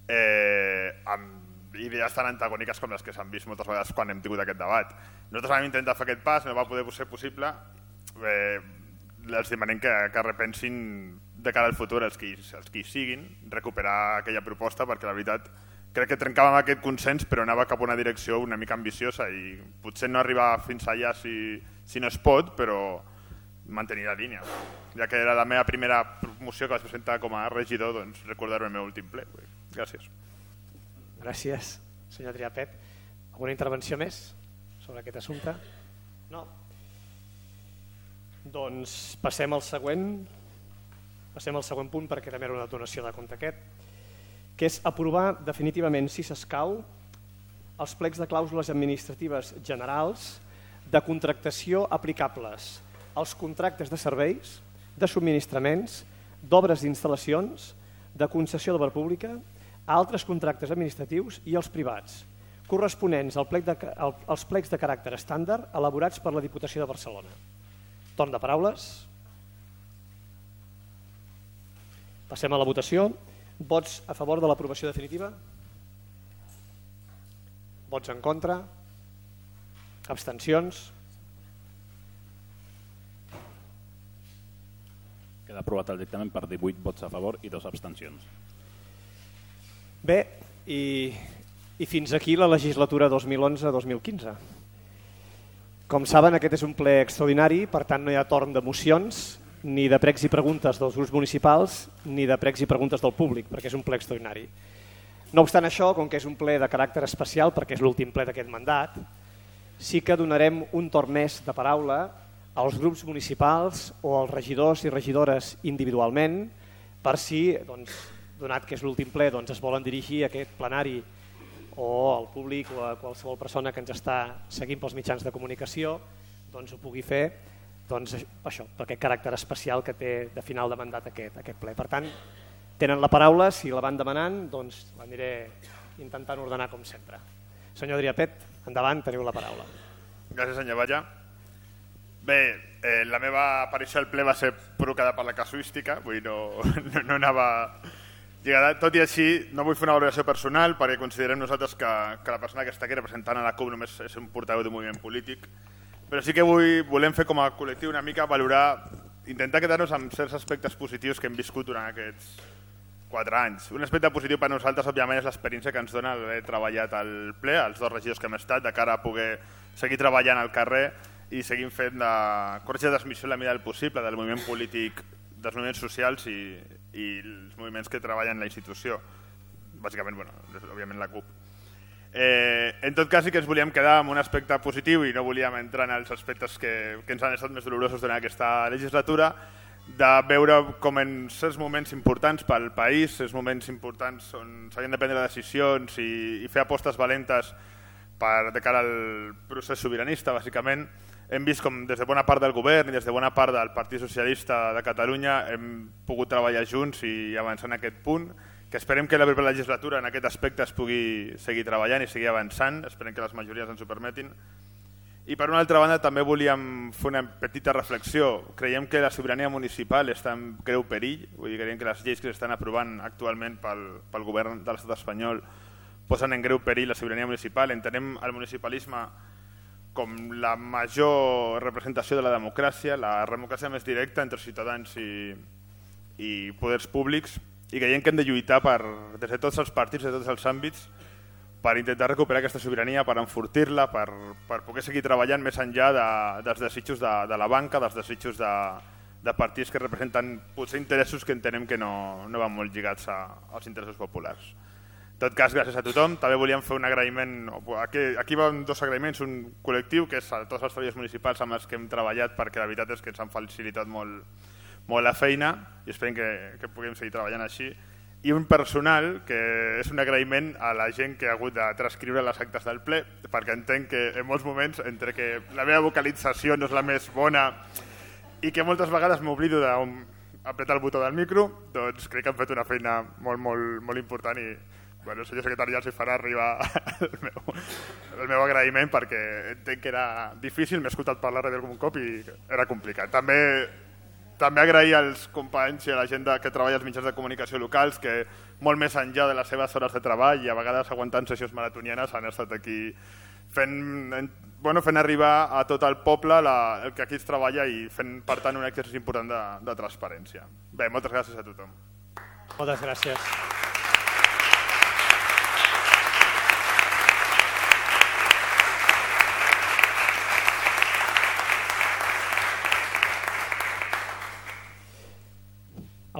eh, amb idees tan antagòniques com les que s'han vist moltes vegades quan hem tingut aquest debat. Nosaltres vam intentar fer aquest pas, no va poder ser possible. Eh, els demanem que, que repensin de cara al futur els que, els que hi siguin, recuperar aquella proposta, perquè la veritat crec que trencàvem aquest consens però anava cap a una direcció una mica ambiciosa i potser no arribar fins allà si, si no es pot, però mantenir la línia. Ja que era la meva primera moció que vaig presentar com a regidor, doncs recordar-me el meu últim ple. Gràcies. Gràcies, senyor Adrià Pet. Alguna intervenció més sobre aquest assumpte? No? Doncs passem al següent, passem al següent punt perquè també era una donació de compte aquest, que és aprovar definitivament, si s'escau, els plecs de clàusules administratives generals de contractació aplicables als contractes de serveis, de subministraments, d'obres d'instal·lacions, de concessió d'obra pública, a altres contractes administratius i als privats, corresponents al plec de, al, als plecs de caràcter estàndard elaborats per la Diputació de Barcelona. Torn de paraules. Passem a la votació. Vots a favor de l'aprovació definitiva? Vots en contra? Abstencions? Queda aprovat el dictamen per divuit vots a favor i dos abstencions. Bé, i, i fins aquí la legislatura dos mil onze dos mil quinze. Com saben, aquest és un ple extraordinari, per tant no hi ha torn de mocions, ni de pregs i preguntes dels grups municipals, ni de pregs i preguntes del públic, perquè és un ple extraordinari. No obstant això, com que és un ple de caràcter especial, perquè és l'últim ple d'aquest mandat, sí que donarem un torn més de paraula als grups municipals o als regidors i regidores individualment, per si, doncs, donat que és l'últim ple, doncs es volen dirigir a aquest plenari o al públic o a qualsevol persona que ens està seguint pels mitjans de comunicació, doncs ho pugui fer, doncs això, per aquest caràcter especial que té de final de mandat aquest, aquest ple. Per tant, tenen la paraula, si la van demanant, doncs l'aniré intentant ordenar com sempre. Senyor Adrià Pet, endavant, teniu la paraula. Gràcies, senyor Batlle. Bé, eh, la meva aparició al ple va ser provocada per la casuística, vull dir, no, no, no anava lligada. Tot i així, no vull fer una valoració personal perquè considerem nosaltres que, que la persona que està aquí representant a la C U P només és un portaveu d'un moviment polític, però sí que vull, volem fer com a col·lectiu una mica valorar, intentar quedar-nos amb certs aspectes positius que hem viscut durant aquests quatre anys. Un aspecte positiu per nosaltres, òbviament, és l'experiència que ens dona haver treballat al ple, els dos regidors que hem estat, de cara a poder seguir treballant al carrer i seguir fent de corretja de transmissió en la mida del possible del moviment polític, dels moviments socials i, i els moviments que treballen en la institució. Bàsicament, bueno, òbviament la C U P. Eh, en tot cas sí que ens volíem quedar amb un aspecte positiu i no volíem entrar en els aspectes que, que ens han estat més dolorosos durant aquesta legislatura, de veure com en certs moments importants pel país, certs moments importants on s'havien de prendre decisions i, i fer apostes valentes per, de cara al procés sobiranista, bàsicament, hem vist com des de bona part del govern i des de bona part del Partit Socialista de Catalunya hem pogut treballar junts i avançar en aquest punt, que esperem que la propera legislatura en aquest aspecte es pugui seguir treballant i seguir avançant, esperem que les majories ens ho permetin. I per una altra banda també volíem fer una petita reflexió. Creiem que la sobirania municipal està en greu perill, vull dir, creiem que les lleis que s'estan aprovant actualment pel, pel govern de l'estat espanyol posen en greu perill la sobirania municipal. Entenem el municipalisme com la major representació de la democràcia, la democràcia més directa entre ciutadans i, i poders públics, i creiem que hem de lluitar per, des de tots els partits, de tots els àmbits, per intentar recuperar aquesta sobirania, per enfortir-la, per, per poder seguir treballant més enllà de, dels desitjos de, de la banca, dels desitjos de, de partits que representen potser interessos que entenem que no, no van molt lligats a, als interessos populars. En tot cas, gràcies a tothom. També volíem fer un agraïment, aquí, aquí van dos agraïments, un col·lectiu, que és a tots els treballadors municipals amb els que hem treballat, perquè la veritat és que ens han facilitat molt, molt la feina i esperem que, que puguem seguir treballant així. I un personal, que és un agraïment a la gent que ha hagut de transcriure les actes del ple, perquè entenc que en molts moments, entre que la meva vocalització no és la més bona i que moltes vegades m'oblido d'apretar el botó del micro, doncs crec que han fet una feina molt, molt, molt important i bueno, el senyor secretari ja els farà arribar el meu, el meu agraïment, perquè entenc que era difícil, m'he escoltat parlar darrere com un cop i era complicat. També També agrair als companys i a la gent que treballa als mitjans de comunicació locals que molt més enllà de les seves hores de treball i a vegades aguantant sessions maratonianes han estat aquí fent, bueno, fent arribar a tot el poble la, el que aquí es treballa i fent per tant un exercici important de, de transparència. Bé, moltes gràcies a tothom. Moltes gràcies.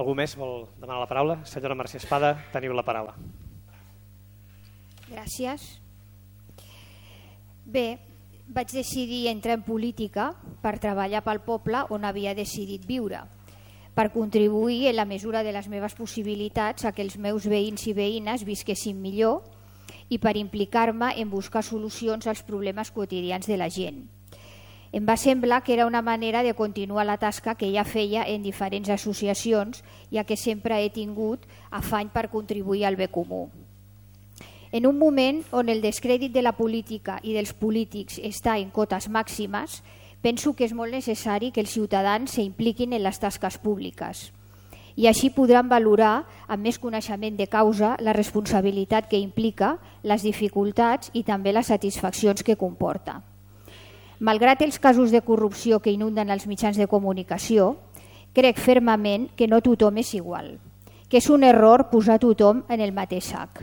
Algú més vol demanar la paraula? Senyora Mercè Espada, teniu la paraula. Gràcies. Bé, vaig decidir entrar en política per treballar pel poble on havia decidit viure, per contribuir en la mesura de les meves possibilitats a que els meus veïns i veïnes visquessin millor i per implicar-me en buscar solucions als problemes quotidians de la gent. Em va semblar que era una manera de continuar la tasca que ja feia en diferents associacions, ja que sempre he tingut afany per contribuir al bé comú. En un moment on el descrèdit de la política i dels polítics està en cotes màximes, penso que és molt necessari que els ciutadans s'impliquin en les tasques públiques i així podran valorar amb més coneixement de causa la responsabilitat que implica, les dificultats i també les satisfaccions que comporta. Malgrat els casos de corrupció que inunden els mitjans de comunicació, crec fermament que no tothom és igual, que és un error posar tothom en el mateix sac,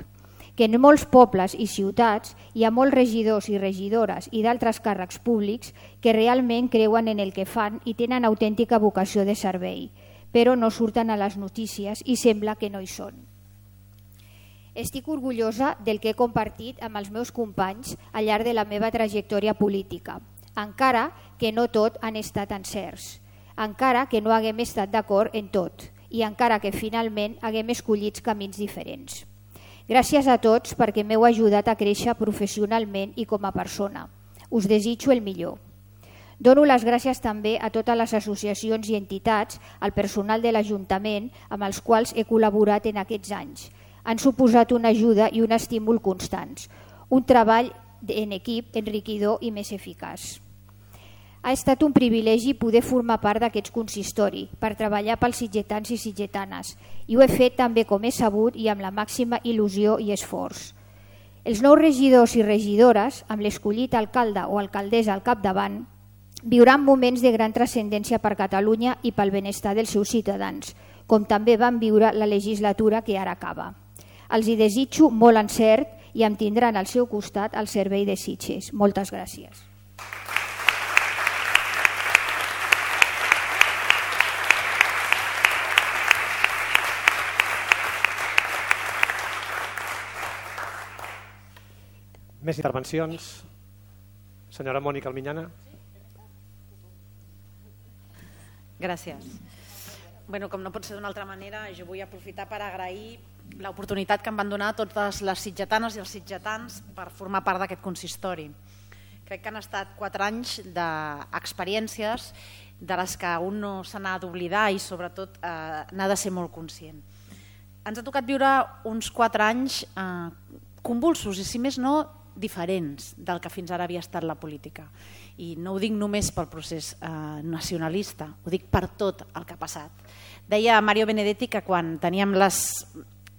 que en molts pobles i ciutats hi ha molts regidors i regidores i d'altres càrrecs públics que realment creuen en el que fan i tenen autèntica vocació de servei, però no surten a les notícies i sembla que no hi són. Estic orgullosa del que he compartit amb els meus companys al llarg de la meva trajectòria política, encara que no tot han estat encerts, encara que no haguem estat d'acord en tot i encara que finalment haguem escollit camins diferents. Gràcies a tots perquè m'heu ajudat a créixer professionalment i com a persona. Us desitjo el millor. Dono les gràcies també a totes les associacions i entitats, al personal de l'Ajuntament amb els quals he col·laborat en aquests anys. Han suposat una ajuda i un estímul constants, un treball en equip enriquidor i més eficaç. Ha estat un privilegi poder formar part d'aquest consistori per treballar pels sitgetans i sitgetanes i ho he fet també com he sabut i amb la màxima il·lusió i esforç. Els nous regidors i regidores, amb l'escollit alcalde o alcaldessa al capdavant, viuran moments de gran transcendència per Catalunya i pel benestar dels seus ciutadans, com també van viure la legislatura que ara acaba. Els hi desitjo molt encert i em tindran al seu costat al servei de Sitges. Moltes gràcies. Més intervencions? Senyora Mònica Alminyana. Gràcies. Bueno, com no pot ser d'una altra manera, jo vull aprofitar per agrair l'oportunitat que em van donar totes les sitgetanes i els sitgetans per formar part d'aquest consistori. Crec que han estat quatre anys d'experiències de les que un no se n'ha d'oblidar i sobretot eh, n'ha de ser molt conscient. Ens ha tocat viure uns quatre anys eh, convulsos i si més no diferents del que fins ara havia estat la política. I no ho dic només pel procés eh, nacionalista, ho dic per tot el que ha passat. Deia Mario Benedetti que quan teníem les,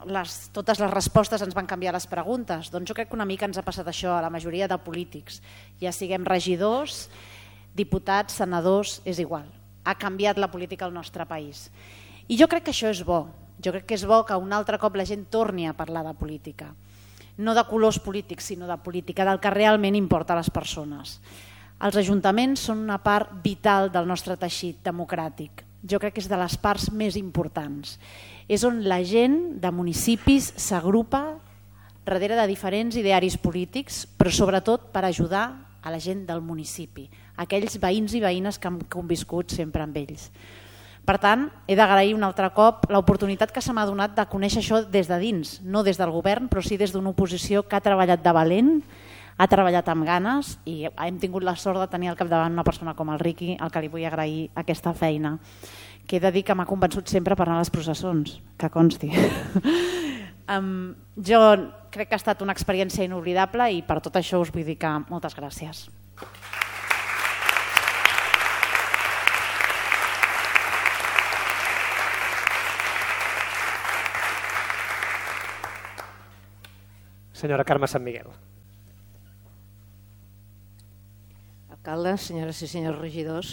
les, totes les respostes ens van canviar les preguntes. Doncs jo crec que una mica ens ha passat això a la majoria de polítics. Ja siguem regidors, diputats, senadors, és igual. Ha canviat la política al nostre país. I jo crec que això és bo. Jo crec que és bo que un altre cop la gent torni a parlar de política. No de colors polítics, sinó de política, del que realment importa a les persones. Els ajuntaments són una part vital del nostre teixit democràtic. Jo crec que és de les parts més importants. És on la gent de municipis s'agrupa darrere de diferents idearis polítics, però sobretot per ajudar a la gent del municipi, aquells veïns i veïnes que han conviscut sempre amb ells. Per tant, he d'agrair un altre cop l'oportunitat que se m'ha donat de conèixer això des de dins, no des del govern, però sí des d'una oposició que ha treballat de valent, ha treballat amb ganes i hem tingut la sort de tenir al capdavant una persona com el Riqui, al que li vull agrair aquesta feina, que he de dir que m'ha convençut sempre per anar a les processons, que consti. um, jo crec que ha estat una experiència inoblidable i per tot això us vull dir que moltes gràcies. Senyora Carme Sant Miguel. Alcaldes, senyores i senyors regidors,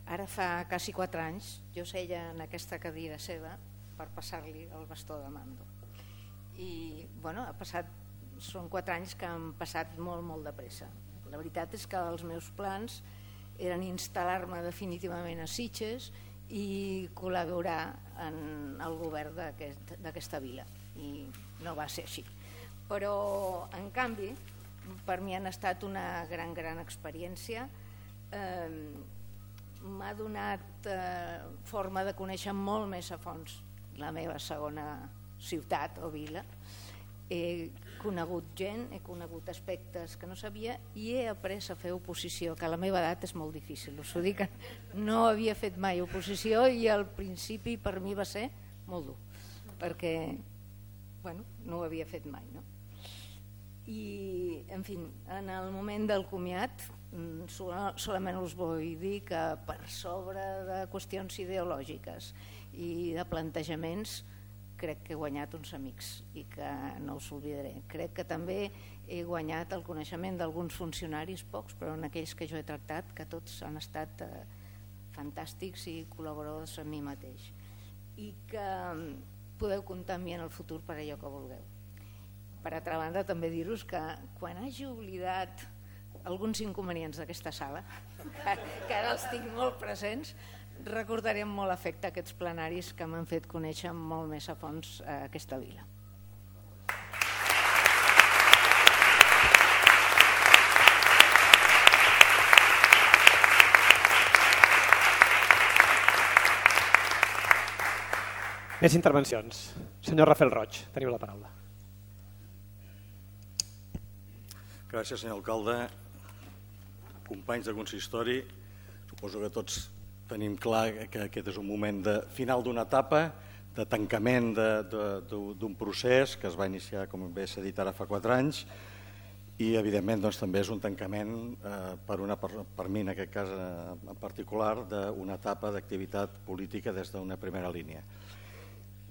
ara fa quasi quatre anys jo seia en aquesta cadira seva per passar-li el bastó de mando. I bueno, ha passat, són quatre anys que han passat molt, molt de pressa. La veritat és que els meus plans eren instal·lar-me definitivament a Sitges i col·laborar en el govern d'aquesta vila. I no va ser així. Però, en canvi, per mi han estat una gran, gran experiència. Eh, m'ha donat eh, forma de conèixer molt més a fons la meva segona ciutat o vila. He conegut gent, he conegut aspectes que no sabia i he après a fer oposició, que a la meva edat és molt difícil. Us ho dic, no havia fet mai oposició i al principi per mi va ser molt dur, perquè bueno, no ho havia fet mai, no? I, en fi, en el moment del comiat solament us vull dir que per sobre de qüestions ideològiques i de plantejaments crec que he guanyat uns amics i que no us oblidaré. Crec que també he guanyat el coneixement d'alguns funcionaris, pocs, però en aquells que jo he tractat, que tots han estat eh, fantàstics i col·laboradors amb mi mateix. I que podeu comptar amb mi en el futur per allò que vulgueu. Per altra banda, també dir-vos que quan hagi oblidat alguns inconvenients d'aquesta sala, que, que ara els tinc molt presents, recordaré amb molt afecte aquests plenaris que m'han fet conèixer molt més a fons aquesta vila. Més intervencions. Senyor Rafael Roig, teniu la paraula. Gràcies, senyor alcalde. Companys de consistori, suposo que tots tenim clar que aquest és un moment de final d'una etapa, de tancament d'un procés que es va iniciar, com bé s'ha dit ara, fa quatre anys, i evidentment doncs, també és un tancament eh, per, una, per, per mi en aquest cas eh, en particular d'una etapa d'activitat política des d'una primera línia.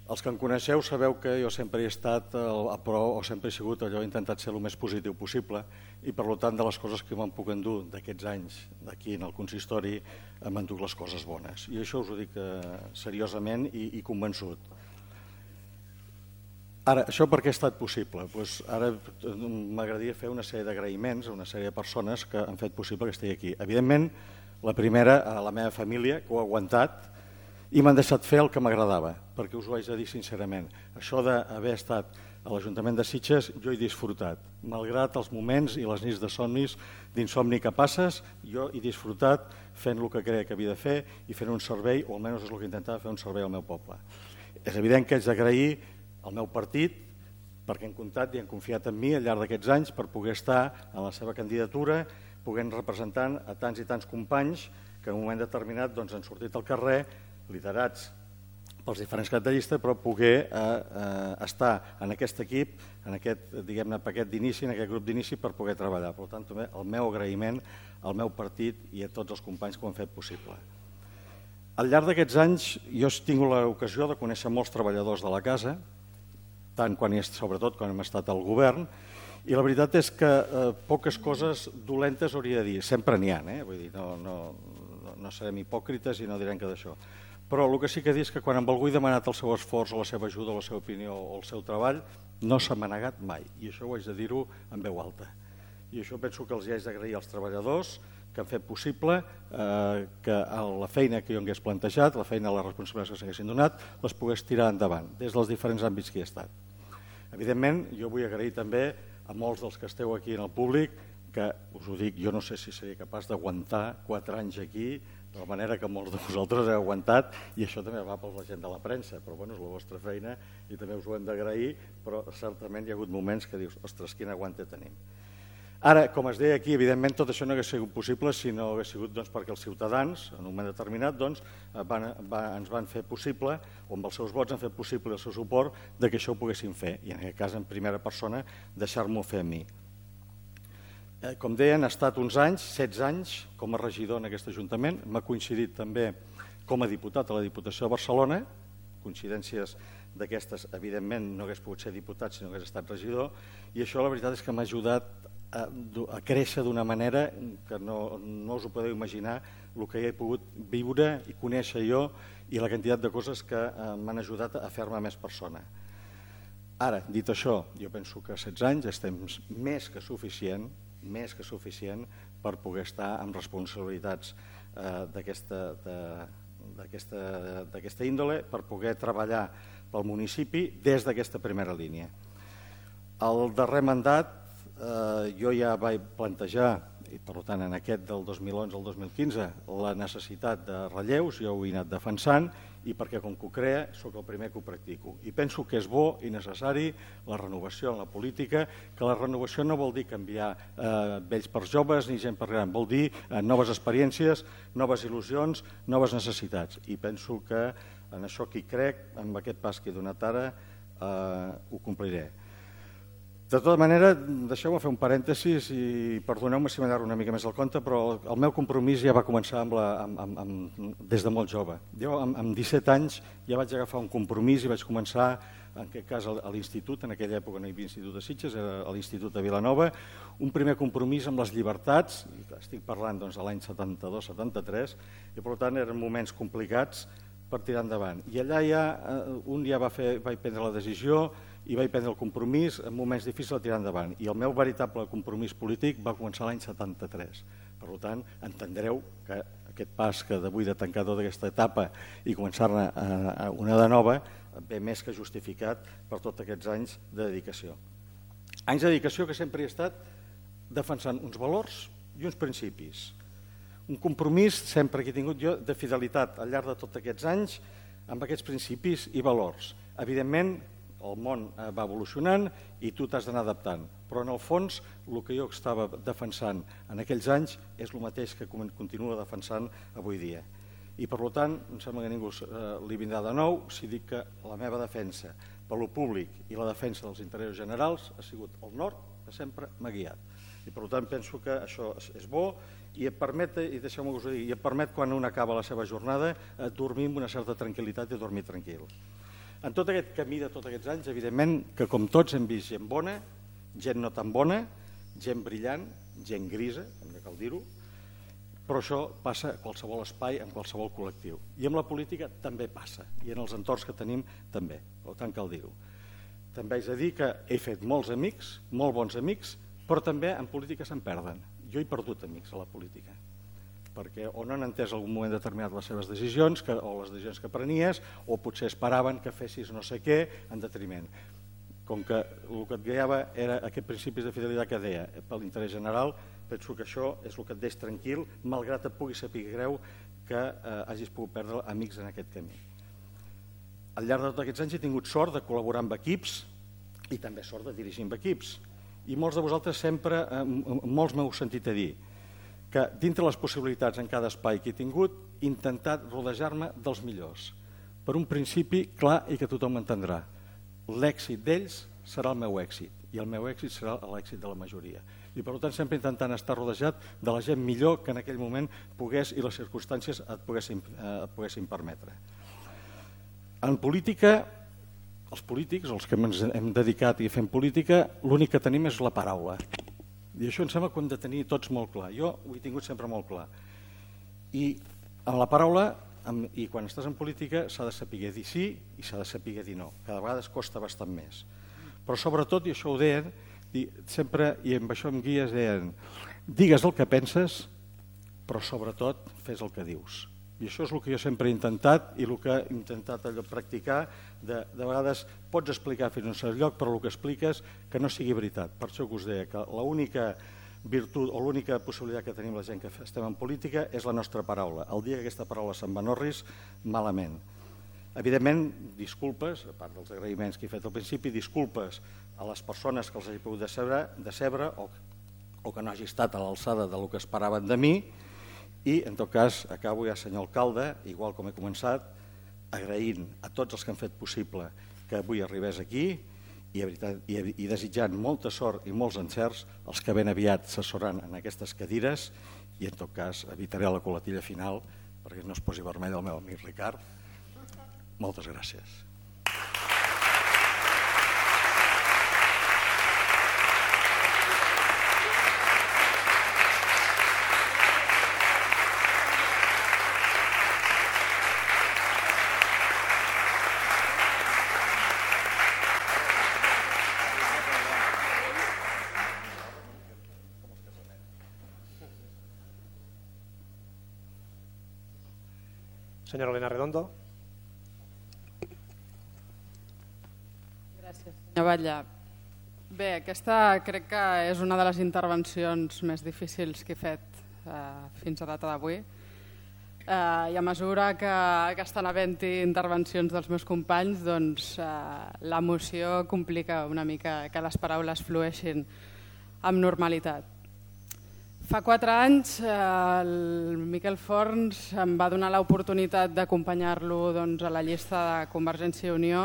Els que em coneixeu sabeu que jo sempre he estat a pro o sempre he sigut allò, he intentat ser el més positiu possible i per tant de les coses que me'n puc endur d'aquests anys d'aquí en el consistori m'enduc les coses bones i això us ho dic eh, seriosament i, i convençut. Ara, això per què ha estat possible? Pues ara m'agradaria fer una sèrie d'agraïments a una sèrie de persones que han fet possible que estigui aquí. Evidentment, la primera a la meva família que ho ha aguantat i m'han deixat fer el que m'agradava, perquè us ho haig de dir sincerament. Això d'haver estat a l'Ajuntament de Sitges jo he disfrutat. Malgrat els moments i les nits de somnis, d'insomni que passes, jo he disfrutat fent el que creia que havia de fer i fent un servei, o almenys és el que intentava fer un servei al meu poble. És evident que haig d'agrair al meu partit perquè han comptat i han confiat en mi al llarg d'aquests anys per poder estar en la seva candidatura, podent representant a tants i tants companys que en un moment determinat doncs, han sortit al carrer liderats pels diferents caps de llista, però poder eh, eh, estar en aquest equip, en aquest, diguem-ne, paquet d'inici, en aquest grup d'inici, per poder treballar. Per tant, també el meu agraïment al meu partit i a tots els companys que ho han fet possible. Al llarg d'aquests anys jo he tingut l'ocasió de conèixer molts treballadors de la casa, tant quan he, sobretot quan hem estat al govern, i la veritat és que eh, poques coses dolentes hauria de dir, sempre n'hi ha, eh? Vull dir, no, no, no, no serem hipòcrites i no direm que d'això. Però el que sí que dir és que quan amb algú he demanat el seu esforç o la seva ajuda o la seva opinió o el seu treball, no s'ha manegat mai, i això ho haig de dir-ho en veu alta. I això penso que els hi haig d'agrair als treballadors que han fet possible eh, que la feina que jo hagués plantejat, la feina, les responsabilitats que s'haguessin donat, les pogués tirar endavant, des dels diferents àmbits que hi he estat. Evidentment, jo vull agrair també a molts dels que esteu aquí en el públic, que us ho dic, jo no sé si seré capaç d'aguantar quatre anys aquí, de la manera que molts de vosaltres heu aguantat, i això també va per la gent de la premsa, però bueno, és la vostra feina i també us ho hem d'agrair, però certament hi ha hagut moments que dius, ostres, quin aguante tenim. Ara, com es deia aquí, evidentment tot això no hauria sigut possible si no hagués sigut doncs, perquè els ciutadans, en un moment determinat, doncs, van, van, ens van fer possible, o amb els seus vots han fet possible el seu suport, de que això ho poguéssim fer, i en aquest cas, en primera persona, deixar-m'ho fer a mi. Eh, com deien, ha estat uns anys, setze anys, com a regidor en aquest Ajuntament, m'ha coincidit també com a diputat a la Diputació de Barcelona, coincidències d'aquestes, evidentment, no hagués pogut ser diputat si no hagués estat regidor, i això la veritat és que m'ha ajudat a, a créixer d'una manera que no, no us ho podeu imaginar el que he pogut viure i conèixer jo i la quantitat de coses que eh, m'han ajudat a fer-me més persona. Ara, dit això, jo penso que setze anys és temps més que suficient, més que suficient per poder estar amb responsabilitats eh, d'aquesta índole, per poder treballar pel municipi des d'aquesta primera línia. El darrer mandat eh, jo ja vaig plantejar, i per tant en aquest del dos mil onze al dos mil quinze, la necessitat de relleus, jo ho he anat defensant, i perquè com que ho crea sóc el primer que ho practico. I penso que és bo i necessari la renovació en la política, que la renovació no vol dir canviar eh, vells per joves ni gent per gran, vol dir eh, noves experiències, noves il·lusions, noves necessitats. I penso que en això que hi crec, amb aquest pas que he donat ara, eh, ho compliré. De tota manera, deixeu-me fer un parèntesis i perdoneu-me si m'allargo una mica més al compte, però el meu compromís ja va començar amb la, amb, amb, amb, des de molt jove. Jo amb, amb disset anys ja vaig agafar un compromís i vaig començar, en aquest cas a l'institut, en aquella època no hi havia institut de Sitges, era a l'institut de Vilanova, un primer compromís amb les llibertats, estic parlant doncs, de l'any setanta-dos setanta-tres, i per tant eren moments complicats per tirar endavant. I allà ja, un dia va fer, vaig prendre la decisió i vaig prendre el compromís en moments difícils de tirar endavant. I el meu veritable compromís polític va començar l'any setanta-tres. Per tant, entendreu que aquest pas que d'avui de tancar tota aquesta etapa i començar-ne una de nova ve més que justificat per tots aquests anys de dedicació. Anys de dedicació que sempre he estat defensant uns valors i uns principis. Un compromís sempre que he tingut jo de fidelitat al llarg de tots aquests anys amb aquests principis i valors. Evidentment, el món va evolucionant i tu t'has d'anar adaptant, però en el fons el que jo estava defensant en aquells anys és el mateix que continuo defensant avui dia. I per tant, em sembla que ningú li vindrà de nou si dic que la meva defensa per lo públic i la defensa dels interessos generals ha sigut el nord que sempre m'ha guiat. I per tant penso que això és bo i et permet, i deixeu-me que us ho digui, i et permet quan un acaba la seva jornada dormir amb una certa tranquil·litat i dormir tranquil. En tot aquest camí de tots aquests anys, evidentment que com tots hem vist gent bona, gent no tan bona, gent brillant, gent grisa, hem de cal dir-ho, però això passa a qualsevol espai, en qualsevol col·lectiu. I amb la política també passa, i en els entorns que tenim també, per tant cal dir-ho. També haig de dir que he fet molts amics, molt bons amics, però també en política se'n perden. Jo he perdut amics a la política, perquè o no han entès en algun moment determinat les seves decisions o les decisions que prenies o potser esperaven que fessis no sé què en detriment. Com que el que et guiava era aquest principis de fidelitat que deia per l'interès general, penso que això és el que et deix tranquil, malgrat et pugui saber greu que eh, hagis pogut perdre amics en aquest camí. Al llarg de tots aquests anys he tingut sort de col·laborar amb equips i també sort de dirigir amb equips. I molts de vosaltres sempre, eh, molts m'heu sentit a dir que dintre les possibilitats en cada espai que he tingut he intentat rodejar-me dels millors. per un principi clar i que tothom entendrà. L'èxit d'ells serà el meu èxit i el meu èxit serà l'èxit de la majoria. I per tant sempre intentant estar rodejat de la gent millor que en aquell moment pogués i les circumstàncies et poguessin, eh, et poguessin permetre. En política, els polítics, els que ens hem dedicat i fem política, l'únic que tenim és la paraula. I això em sembla que ho hem de tenir tots molt clar. Jo ho he tingut sempre molt clar. I amb la paraula, i quan estàs en política, s'ha de saber dir sí i s'ha de saber dir no. Cada vegada costa bastant més. Però sobretot, i això ho deien, sempre, i amb això em guies, deien, digues el que penses, però sobretot fes el que dius. I això és el que jo sempre he intentat i el que he intentat allò practicar. De, de vegades pots explicar fins a un cert lloc, però el que expliques que no sigui veritat. Per això que us deia que l'única virtut o l'única possibilitat que tenim la gent que estem en política és la nostra paraula. El dia que aquesta paraula se'n va en orris, malament. Evidentment, disculpes, a part dels agraïments que he fet al principi, disculpes a les persones que els hagi pogut decebre, decebre o, o que no hagi estat a l'alçada del que esperaven de mi. I, en tot cas, acabo ja, senyor alcalde, igual com he començat, agraint a tots els que han fet possible que avui arribés aquí i, veritat, i, i desitjant molta sort i molts encerts als que ben aviat s'asseuran en aquestes cadires i, en tot cas, evitaré la coletilla final perquè no es posi vermell el meu amic Ricard. Moltes gràcies. Senyora Elena Redondo. Gràcies, senyor Batlle. Bé, aquesta crec que és una de les intervencions més difícils que he fet eh, fins a data d'avui. Eh, I a mesura que, que estan havent-hi intervencions dels meus companys, doncs eh, l'emoció complica una mica que les paraules flueixin amb normalitat. Fa quatre anys eh, el Miquel Forns em va donar l'oportunitat d'acompanyar-lo doncs, a la llista de Convergència i Unió,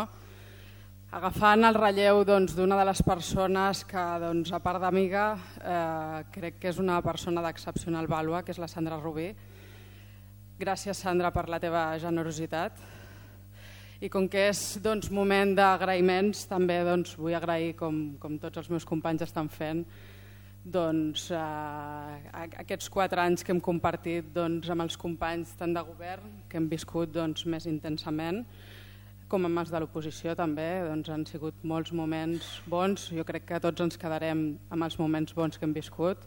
agafant el relleu doncs, d'una de les persones que, doncs, a part d'amiga, eh, crec que és una persona d'excepcional vàlua, que és la Sandra Rubí. Gràcies, Sandra, per la teva generositat. I com que és doncs, moment d'agraïments, també doncs, vull agrair, com, com tots els meus companys estan fent, doncs, eh, aquests quatre anys que hem compartit doncs, amb els companys tant de govern, que hem viscut doncs, més intensament, com amb els de l'oposició també, doncs, han sigut molts moments bons. Jo crec que tots ens quedarem amb els moments bons que hem viscut.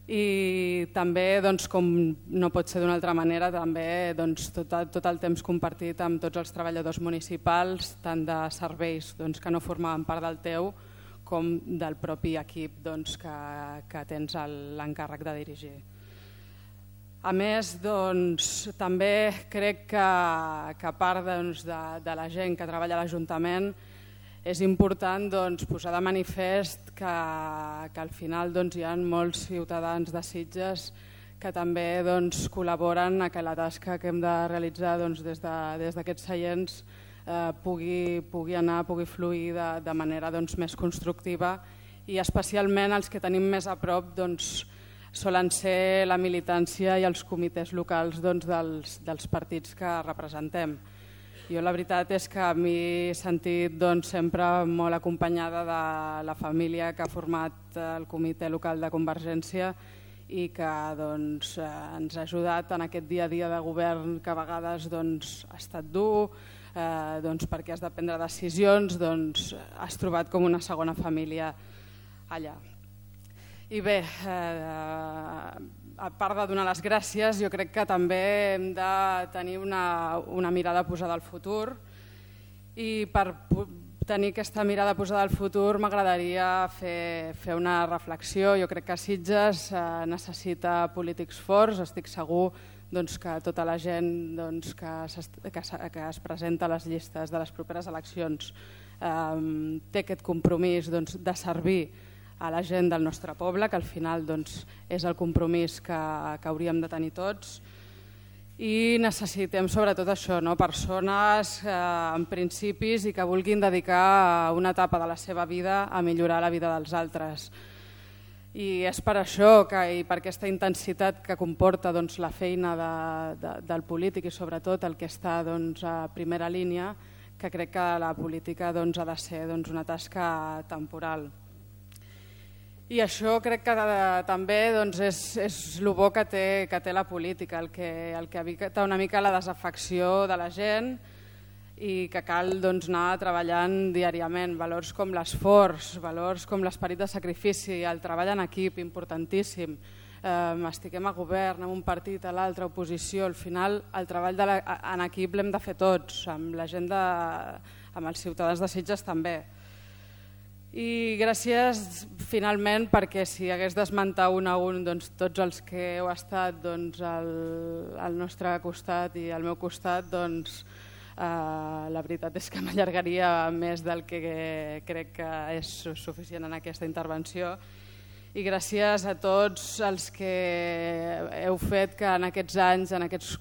I també, doncs, com no pot ser d'una altra manera, també doncs, tot, tot el temps compartit amb tots els treballadors municipals, tant de serveis doncs, que no formaven part del teu, com del propi equip doncs, que, que tens l'encàrrec de dirigir. A més, doncs, també crec que, que a part doncs, de, de la gent que treballa a l'Ajuntament és important doncs, posar de manifest que, que al final doncs, hi ha molts ciutadans de Sitges que també doncs, col·laboren a que la tasca que hem de realitzar doncs, des d'aquests de, seients Eh, pugui, pugui anar, pugui fluir de, de manera doncs, més constructiva i especialment els que tenim més a prop doncs, solen ser la militància i els comitès locals doncs, dels, dels partits que representem. Jo la veritat és que a mi he sentit doncs, sempre molt acompanyada de la família que ha format el comitè local de Convergència i que doncs, ens ha ajudat en aquest dia a dia de govern que a vegades doncs, ha estat dur, Eh, doncs perquè has de prendre decisions, doncs has trobat com una segona família allà. I bé, eh, a part de donar les gràcies, jo crec que també hem de tenir una, una mirada posada al futur i per tenir aquesta mirada posada al futur m'agradaria fer, fer una reflexió. Jo crec que Sitges eh, necessita polítics forts, estic segur doncs, que tota la gent doncs, que, que, que es presenta a les llistes de les properes eleccions eh, té aquest compromís doncs, de servir a la gent del nostre poble, que al final doncs, és el compromís que, que hauríem de tenir tots. i necessitem sobretot això, no? Persones eh, amb principis i que vulguin dedicar una etapa de la seva vida a millorar la vida dels altres. I és per això que, i per aquesta intensitat que comporta doncs, la feina de, de, del polític i sobretot el que està doncs, a primera línia, que crec que la política doncs, ha de ser doncs, una tasca temporal. I això crec que de, també doncs, és, és el bo que té, que té la política, el que, el que evita una mica la desafecció de la gent i que cal doncs, anar treballant diàriament. Valors com l'esforç, valors com l'esperit de sacrifici, el treball en equip, importantíssim. Eh, estiguem a govern, en un partit, a l'altre, oposició, al final el treball de la, en equip l'hem de fer tots, amb la gent, de, amb els ciutadans de Sitges també. I gràcies finalment perquè si hagués d'esmentar un a un doncs, tots els que heu estat doncs, al, al nostre costat i al meu costat, doncs, eh, la veritat és que m'allargaria més del que crec que és suficient en aquesta intervenció. I gràcies a tots els que heu fet que en aquests anys, en aquests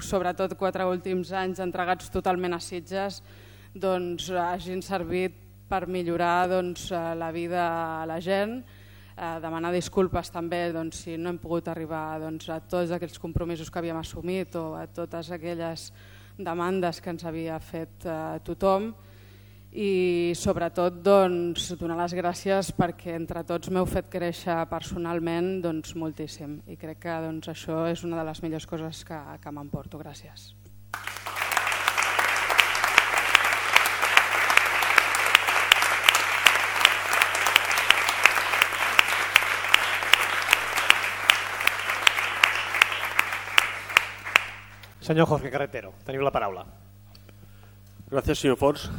sobretot quatre últims anys entregats totalment a Sitges, doncs, hagin servit per millorar doncs, la vida a la gent, eh, demanar disculpes també doncs, si no hem pogut arribar doncs, a tots aquells compromisos que havíem assumit o a totes aquelles demandes que ens havia fet eh, tothom i sobretot doncs, donar les gràcies perquè entre tots m'heu fet créixer personalment doncs, moltíssim i crec que doncs, això és una de les millors coses que, que m'emporto. Gràcies. Señor Jorge Carretero, teniu la paraula. Gracias, señor Forns.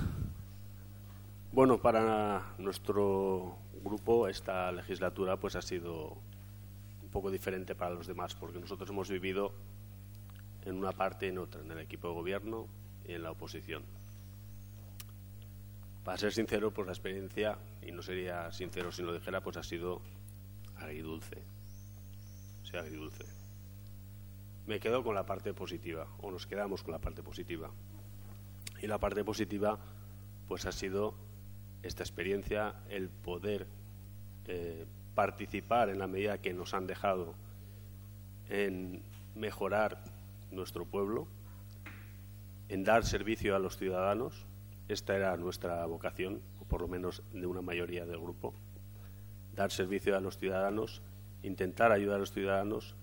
Bueno, para nuestro grupo esta legislatura pues ha sido un poco diferente para los demás porque nosotros hemos vivido en una parte y en otra, en el equipo de gobierno y en la oposición. Para ser sincero, pues la experiencia, y no sería sincero si lo dijera, pues ha sido agridulce. O sea, agridulce. Me quedo con la parte positiva, o nos quedamos con la parte positiva. Y la parte positiva pues ha sido esta experiencia, el poder eh, participar en la medida que nos han dejado en mejorar nuestro pueblo, en dar servicio a los ciudadanos. Esta era nuestra vocación, o por lo menos de una mayoría del grupo. Dar servicio a los ciudadanos, intentar ayudar a los ciudadanos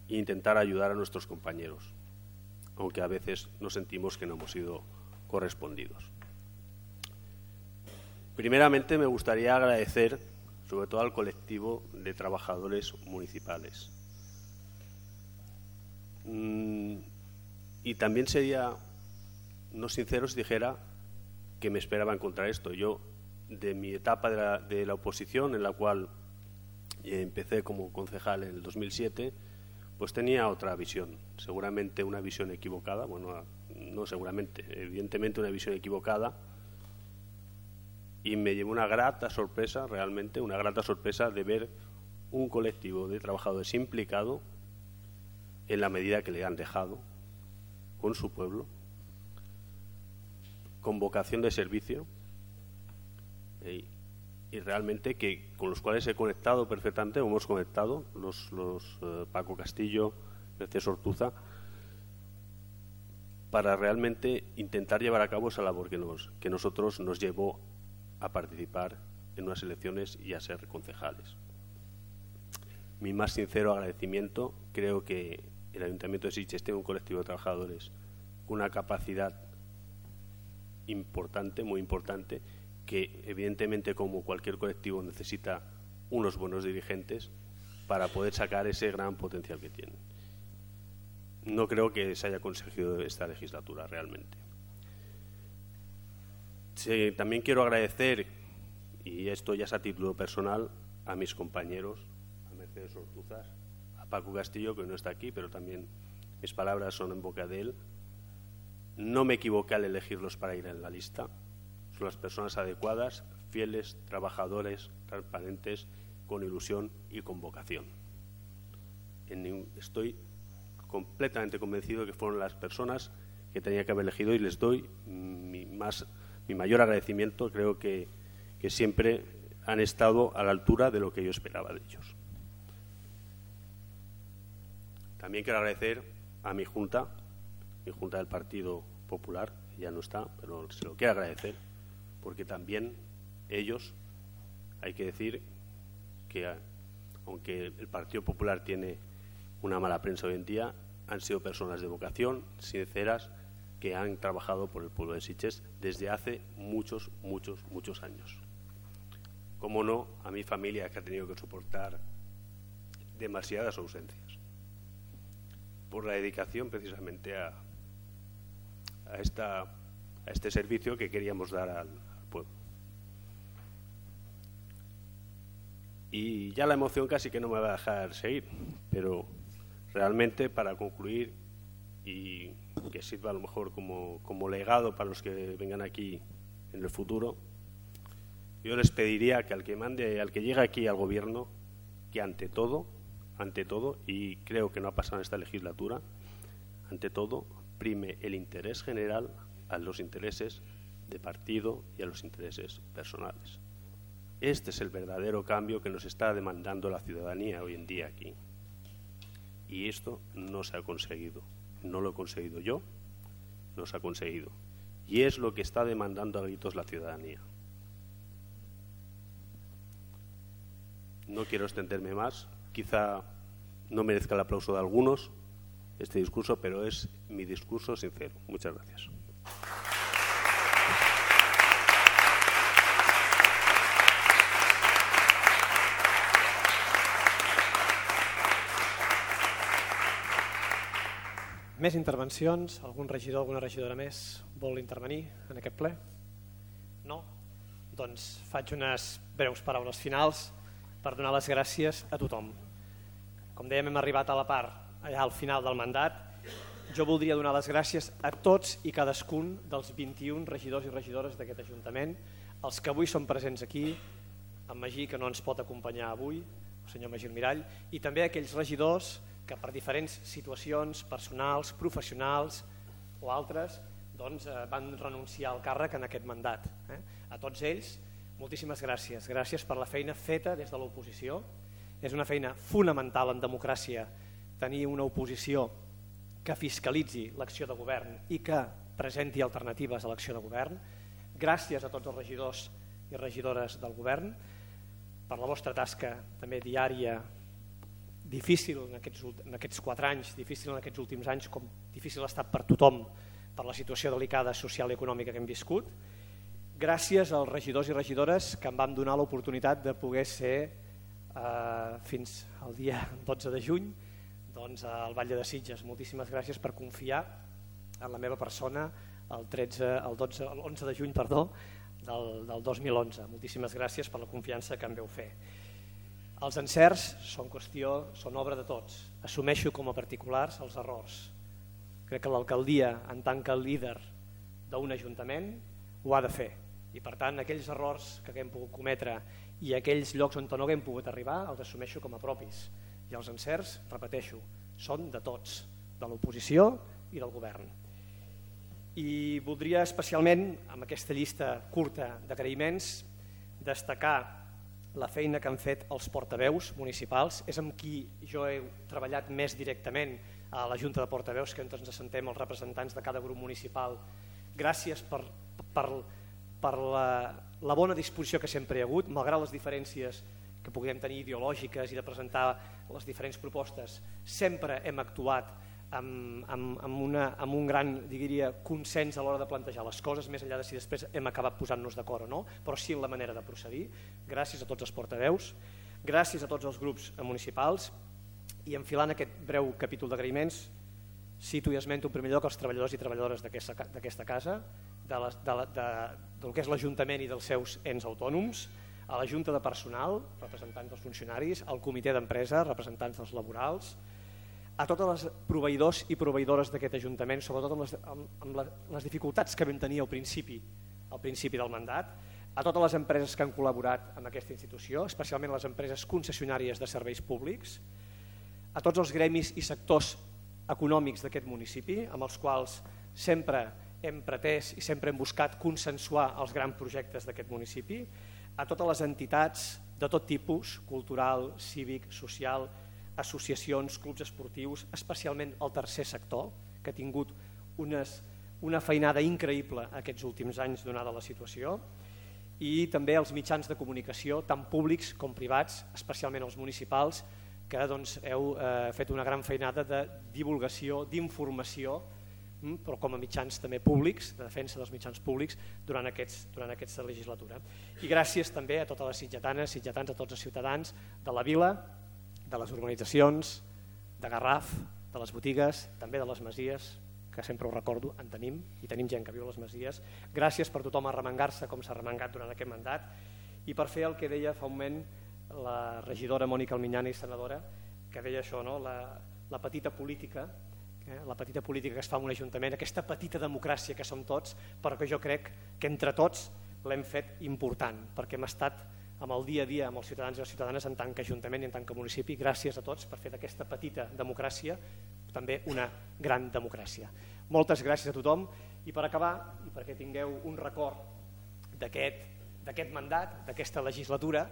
e intentar ayudar a nuestros compañeros, aunque a veces nos sentimos que no hemos sido correspondidos. Primeramente me gustaría agradecer sobre todo al colectivo de trabajadores municipales. Mm, y también sería no sincero si dijera que me esperaba encontrar esto. Yo, de mi etapa de la, de la oposición, en la cual empecé como concejal en el dos mil siete, pues tenía otra visión, seguramente una visión equivocada, bueno, no seguramente, evidentemente una visión equivocada, y me llevó una grata sorpresa, realmente, una grata sorpresa de ver un colectivo de trabajadores implicado en la medida que le han dejado con su pueblo, con vocación de servicio, y, y realmente que con los cuales he conectado perfectamente, hemos conectado, los, los eh, Paco Castillo, Mercedes Ortuza, para realmente intentar llevar a cabo esa labor que, nos, que nosotros nos llevó a participar en unas elecciones y a ser concejales. Mi más sincero agradecimiento. Creo que el Ayuntamiento de Sitges tiene un colectivo de trabajadores con una capacidad importante, muy importante, que evidentemente como cualquier colectivo necesita unos buenos dirigentes para poder sacar ese gran potencial que tienen. No creo que se haya conseguido esta legislatura realmente. Sí, también quiero agradecer, y esto ya es a título personal, a mis compañeros, a Mercedes Ortuzas, a Paco Castillo, que no está aquí, pero también mis palabras son en boca de él. No me equivoqué al elegirlos para ir en la lista. Son las personas adecuadas, fieles, trabajadores, transparentes, con ilusión y con vocación. En, estoy completamente convencido de que fueron las personas que tenía que haber elegido y les doy mi, más, mi mayor agradecimiento. Creo que, que siempre han estado a la altura de lo que yo esperaba de ellos. También quiero agradecer a mi junta, mi junta del Partido Popular, ya no está, pero se lo quiero agradecer, porque también ellos, hay que decir que aunque el Partido Popular tiene una mala prensa hoy en día, han sido personas de vocación, sinceras, que han trabajado por el pueblo de Sitges desde hace muchos, muchos, muchos años. Cómo no, a mi familia, que ha tenido que soportar demasiadas ausencias por la dedicación precisamente a, a, esta, a este servicio que queríamos dar al, al pueblo. Y ya la emoción casi que no me va a dejar seguir, pero realmente para concluir y que sirva a lo mejor como, como legado para los que vengan aquí en el futuro, yo les pediría que al que mande, al que llegue aquí al gobierno, que ante todo, ante todo, y creo que no ha pasado en esta legislatura, ante todo, prime el interés general a los intereses de partido y a los intereses personales. Este es el verdadero cambio que nos está demandando la ciudadanía hoy en día aquí. Y esto no se ha conseguido. No lo he conseguido yo, no se ha conseguido. Y es lo que está demandando a gritos la ciudadanía. No quiero extenderme más. Quizá no merezca el aplauso de algunos este discurso, pero es mi discurso sincero. Muchas gracias. Més intervencions? Algun regidor, alguna regidora més vol intervenir en aquest ple? No? Doncs faig unes breus paraules finals per donar les gràcies a tothom. Com dèiem, hem arribat a la part allà al final del mandat. Jo voldria donar les gràcies a tots i cadascun dels vint-i-un regidors i regidores d'aquest Ajuntament, els que avui són presents aquí, en Magí, que no ens pot acompanyar avui, el senyor Magí Mirall, i també a aquells regidors que per diferents situacions personals, professionals o altres doncs, eh, van renunciar al càrrec en aquest mandat. Eh? A tots ells, moltíssimes gràcies. Gràcies per la feina feta des de l'oposició. És una feina fonamental en democràcia tenir una oposició que fiscalitzi l'acció de govern i que presenti alternatives a l'acció de govern. Gràcies a tots els regidors i regidores del govern per la vostra tasca també diària, difícil en aquests, en aquests quatre anys, difícil en aquests últims anys, com difícil ha estat per tothom per la situació delicada social i econòmica que hem viscut. Gràcies als regidors i regidores que em van donar l'oportunitat de poder ser eh, fins al dia dotze de juny doncs, al Batlle de Sitges. Moltíssimes gràcies per confiar en la meva persona el, tretze, el, dotze, el onze de juny perdó, del, del dos mil onze. Moltíssimes gràcies per la confiança que em veu fer. Els encerts són qüestió, són obra de tots. Assumeixo com a particulars els errors. Crec que l'alcaldia, en tant que líder d'un ajuntament, ho ha de fer. I per tant, aquells errors que haguem pogut cometre i aquells llocs on no haguem pogut arribar, els assumeixo com a propis. I els encerts, repeteixo, són de tots, de l'oposició i del govern. I voldria especialment, amb aquesta llista curta d'agraïments, destacar la feina que han fet els portaveus municipals. És amb qui jo he treballat més directament a la Junta de Portaveus, que ens assentem els representants de cada grup municipal. Gràcies per, per, per la, la bona disposició que sempre hi ha hagut, malgrat les diferències que puguem tenir ideològiques i de presentar les diferents propostes. Sempre hem actuat amb, amb, amb, una, amb un gran diria, consens a l'hora de plantejar les coses, més enllà de si després hem acabat posant-nos d'acord o no, però sí en la manera de procedir. Gràcies a tots els portaveus, gràcies a tots els grups municipals, i enfilant aquest breu capítol d'agraïments, cito i esmento en primer lloc els treballadors i treballadores d'aquesta casa, de la, de la, de, del que és l'Ajuntament i dels seus ens autònoms, a la Junta de Personal, representants dels funcionaris, al Comitè d'Empresa, representants dels laborals, a totes les proveïdors i proveïdores d'aquest Ajuntament, sobretot amb les, amb, amb les dificultats que vam tenir al principi, al principi del mandat, a totes les empreses que han col·laborat amb aquesta institució, especialment les empreses concessionàries de serveis públics, a tots els gremis i sectors econòmics d'aquest municipi, amb els quals sempre hem pretès i sempre hem buscat consensuar els grans projectes d'aquest municipi, a totes les entitats de tot tipus, cultural, cívic, social, associacions, clubs esportius, especialment el tercer sector, que ha tingut unes, una feinada increïble aquests últims anys donada la situació, i també els mitjans de comunicació, tant públics com privats, especialment els municipals, que doncs, heu eh, fet una gran feinada de divulgació, d'informació, però com a mitjans també públics, de defensa dels mitjans públics durant, aquests, durant aquesta legislatura. I gràcies també a totes les sitgetanes, sitgetans, a tots els ciutadans de la vila, de les urbanitzacions, de Garraf, de les botigues, també de les masies, que sempre ho recordo, en tenim, i tenim gent que viu a les masies. Gràcies per tothom arremangar-se com s'ha arremangat durant aquest mandat i per fer el que deia fa un moment la regidora Mònica Alminyana i senadora, que deia això, no? la, la petita política, eh? la petita política que es fa en un ajuntament, aquesta petita democràcia que som tots, però que jo crec que entre tots l'hem fet important, perquè hem estat amb el dia a dia amb els ciutadans i les ciutadanes en tant que ajuntament i en tant que municipi. Gràcies a tots per fer d'aquesta petita democràcia també una gran democràcia. Moltes gràcies a tothom i per acabar, i perquè tingueu un record d'aquest mandat, d'aquesta legislatura,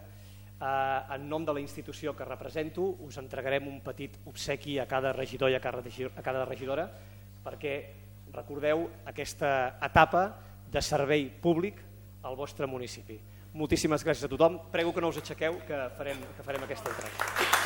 eh, en nom de la institució que represento us entregarem un petit obsequi a cada regidor i a cada regidora perquè recordeu aquesta etapa de servei públic al vostre municipi. Moltíssimes gràcies a tothom. Prego que no us aixequeu, que farem, que farem aquesta entrega.